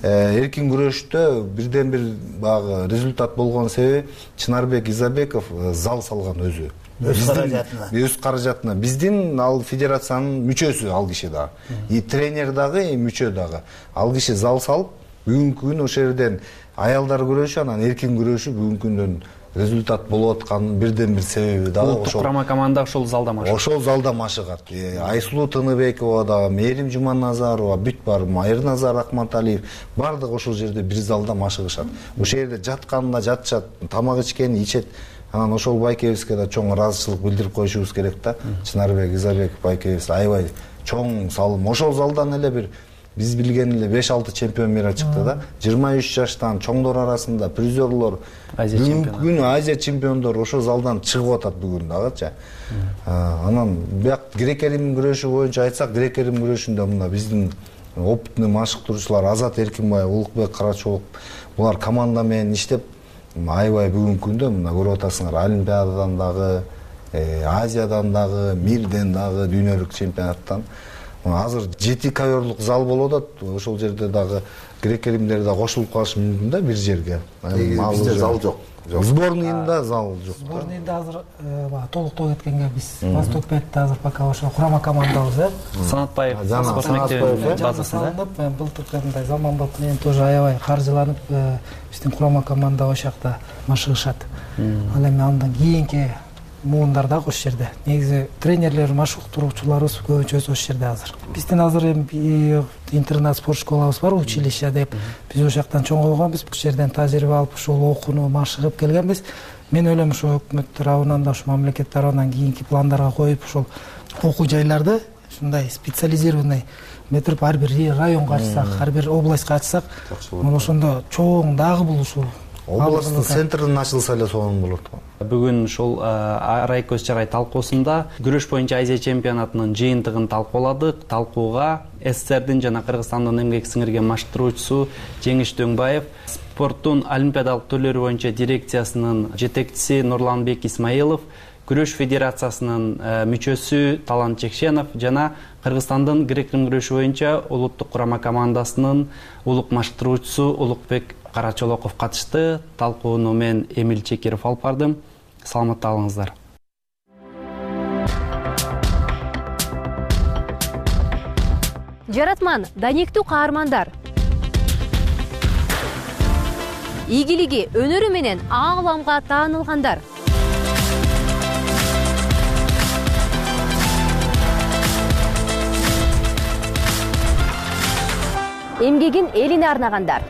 Эркин күрөштө бирден бир багы результат болгон себеби Чынарбек Изабеков зал салган өзү. Өз каражатына. Биздин ал федерациянын мүчөсү ал киши дагы. И тренер дагы, и мүчө дагы. Ал киши зал салып, бүгүнкү күнү ошол жерден аялдар күрөшү, анан эркин күрөшү бүгүнкү күндөн результат болуп атканын бирден бир себеби дагы ошол. Курама команда ошол залда машыгат. Ошол залда машыгат. Айсулуу Тыныбекова дагы, Мээрим Жуманазарова, бүт бар, Майырназар Акматалиев бардыгы ошол жерде бир залда машыгышат. Ошол жерде жатканында жатышат, тамак ичкени ичет. Анан ошол байкебизге да чоң ыраазычылык билдирип коюшубуз керек да. Чынарбек Изабеков байкебиз аябай чоң салым. Ошол залдан эле бир биз билген эле 5-6 чемпион мира чыкты да. 23 жаштан чоңдор арасында призерлор, бүгүнкү күнү Азия чемпиондор ошол залдан чыгып атат бүгүн дагычы. Анан бияк грек-рим күрөшү боюнча айтсак, грек-рим күрөшүндө мына биздин опытный машыктыруучулар Азат Эркинбаев, Улукбек Карачолук, булар команда менен иштеп аябай бүгүнкү күндө мына көрүп атасыңар, Олимпиададан дагы, Азиядан дагы, мирден дагы, дүйнөлүк чемпионаттан азыр 7 коверлук зал болуп атат. Ошол жерде дагы грек-римдер да кошулуп калышы мүмкүн да бир жерге. Бизде зал жок. Сборныйында зал жок. Сборныйда азыр толуктоо кеткенге биз Восток 5-те азыр пока ошо курама командабыз, Санатбаев спорт мектебинин базасында. Былтыркы мындай Заманбап менен тоже аябай каржыланып биздин курама команда ошол жакта машыгышат. Ал эми андан кийинки муундар дагы ошол жерде. Негизи тренерлер, машыктыруучуларыбыз көбүнчөсү ошол жерде азыр. Биздин азыр эми интернат спорт школабыз бар, училище деп. Биз ошол жактан чоңойгонбуз, бул жерден тажрыйба алып, ушул окууну машыгып келгенбиз. Мен ойлойм ошо өкмөт тарабынан да, ошо мамлекет тарабынан кийинки пландарга коюп, ошол окуу жайларды ушундай специализированный метип ар бир районго ачсак, ар бир областка ачсак, ошондо чоң дагы бул ушул областтын центрин ачылса эле сонун болот. Бүгүн ушул Арай көз чарай талкуусунда күрөш боюнча Азия чемпионатынын жыйынтыгын талкууладык. Талкууга СССРдин жана Кыргызстандын эмгек сиңирген машыктыруучусу Жеңиш Дөңбаев, спорттун олимпиадалык түрлөрү боюнча дирекциясынын жетекчиси Нурланбек Исмаилов, күрөш федерациясынын мүчөсү Талант Чекшенов жана Кыргызстандын грек-рим күрөшү боюнча улуттук курама командасынын улук машыктыруучусу Улукбек Карачолоков катышты. Талкууну мен Эмил Чекиров алып бардым. Саламатта болуңуздар. Жаратман, даниктүү каармандар. ийгилиги, өнөрү менен ааламга таанылгандар. Эмгегин элине арнагандар.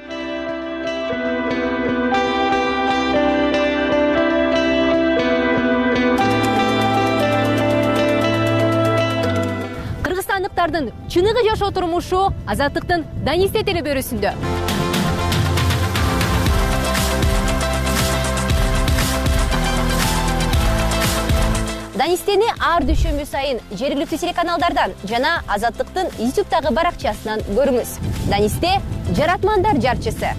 Кыргызстандыктардын чыныгы жашоо турмушу Азаттыктын Данисте телебөрүсүндө. Данистени ар дүйшөмбү сайын жергиликтүү телеканалдардан жана Азаттыктын YouTube'дагы баракчасынан көрүңүз. Данисте жаратмандар жарчысы.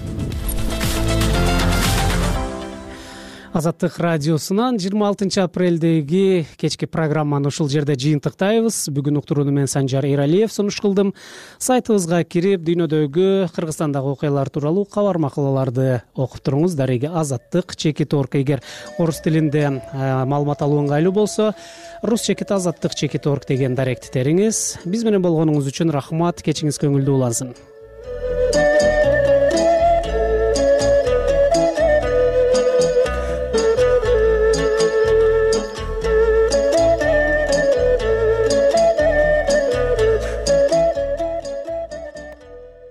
Азаттык радиосунан 26 апрелдеги кечки программаны ушул жерде жыйынтыктайбыз. Бүгүн уктурууну мен Санжар Эралиев сунуш кылдым. Сайтыбызга кирип, дүйнөдөгү, Кыргызстандагы окуялар тууралуу кабар макалаларды окуп туруңуз. Дареги Азаттык.org. Эгер орус тилинде маалымат алуу ыңгайлуу болсо, rus.azattik.org деген даректи териңиз. Биз менен болгонуңуз үчүн рахмат. Кечиңиз көңүлдүү улансын.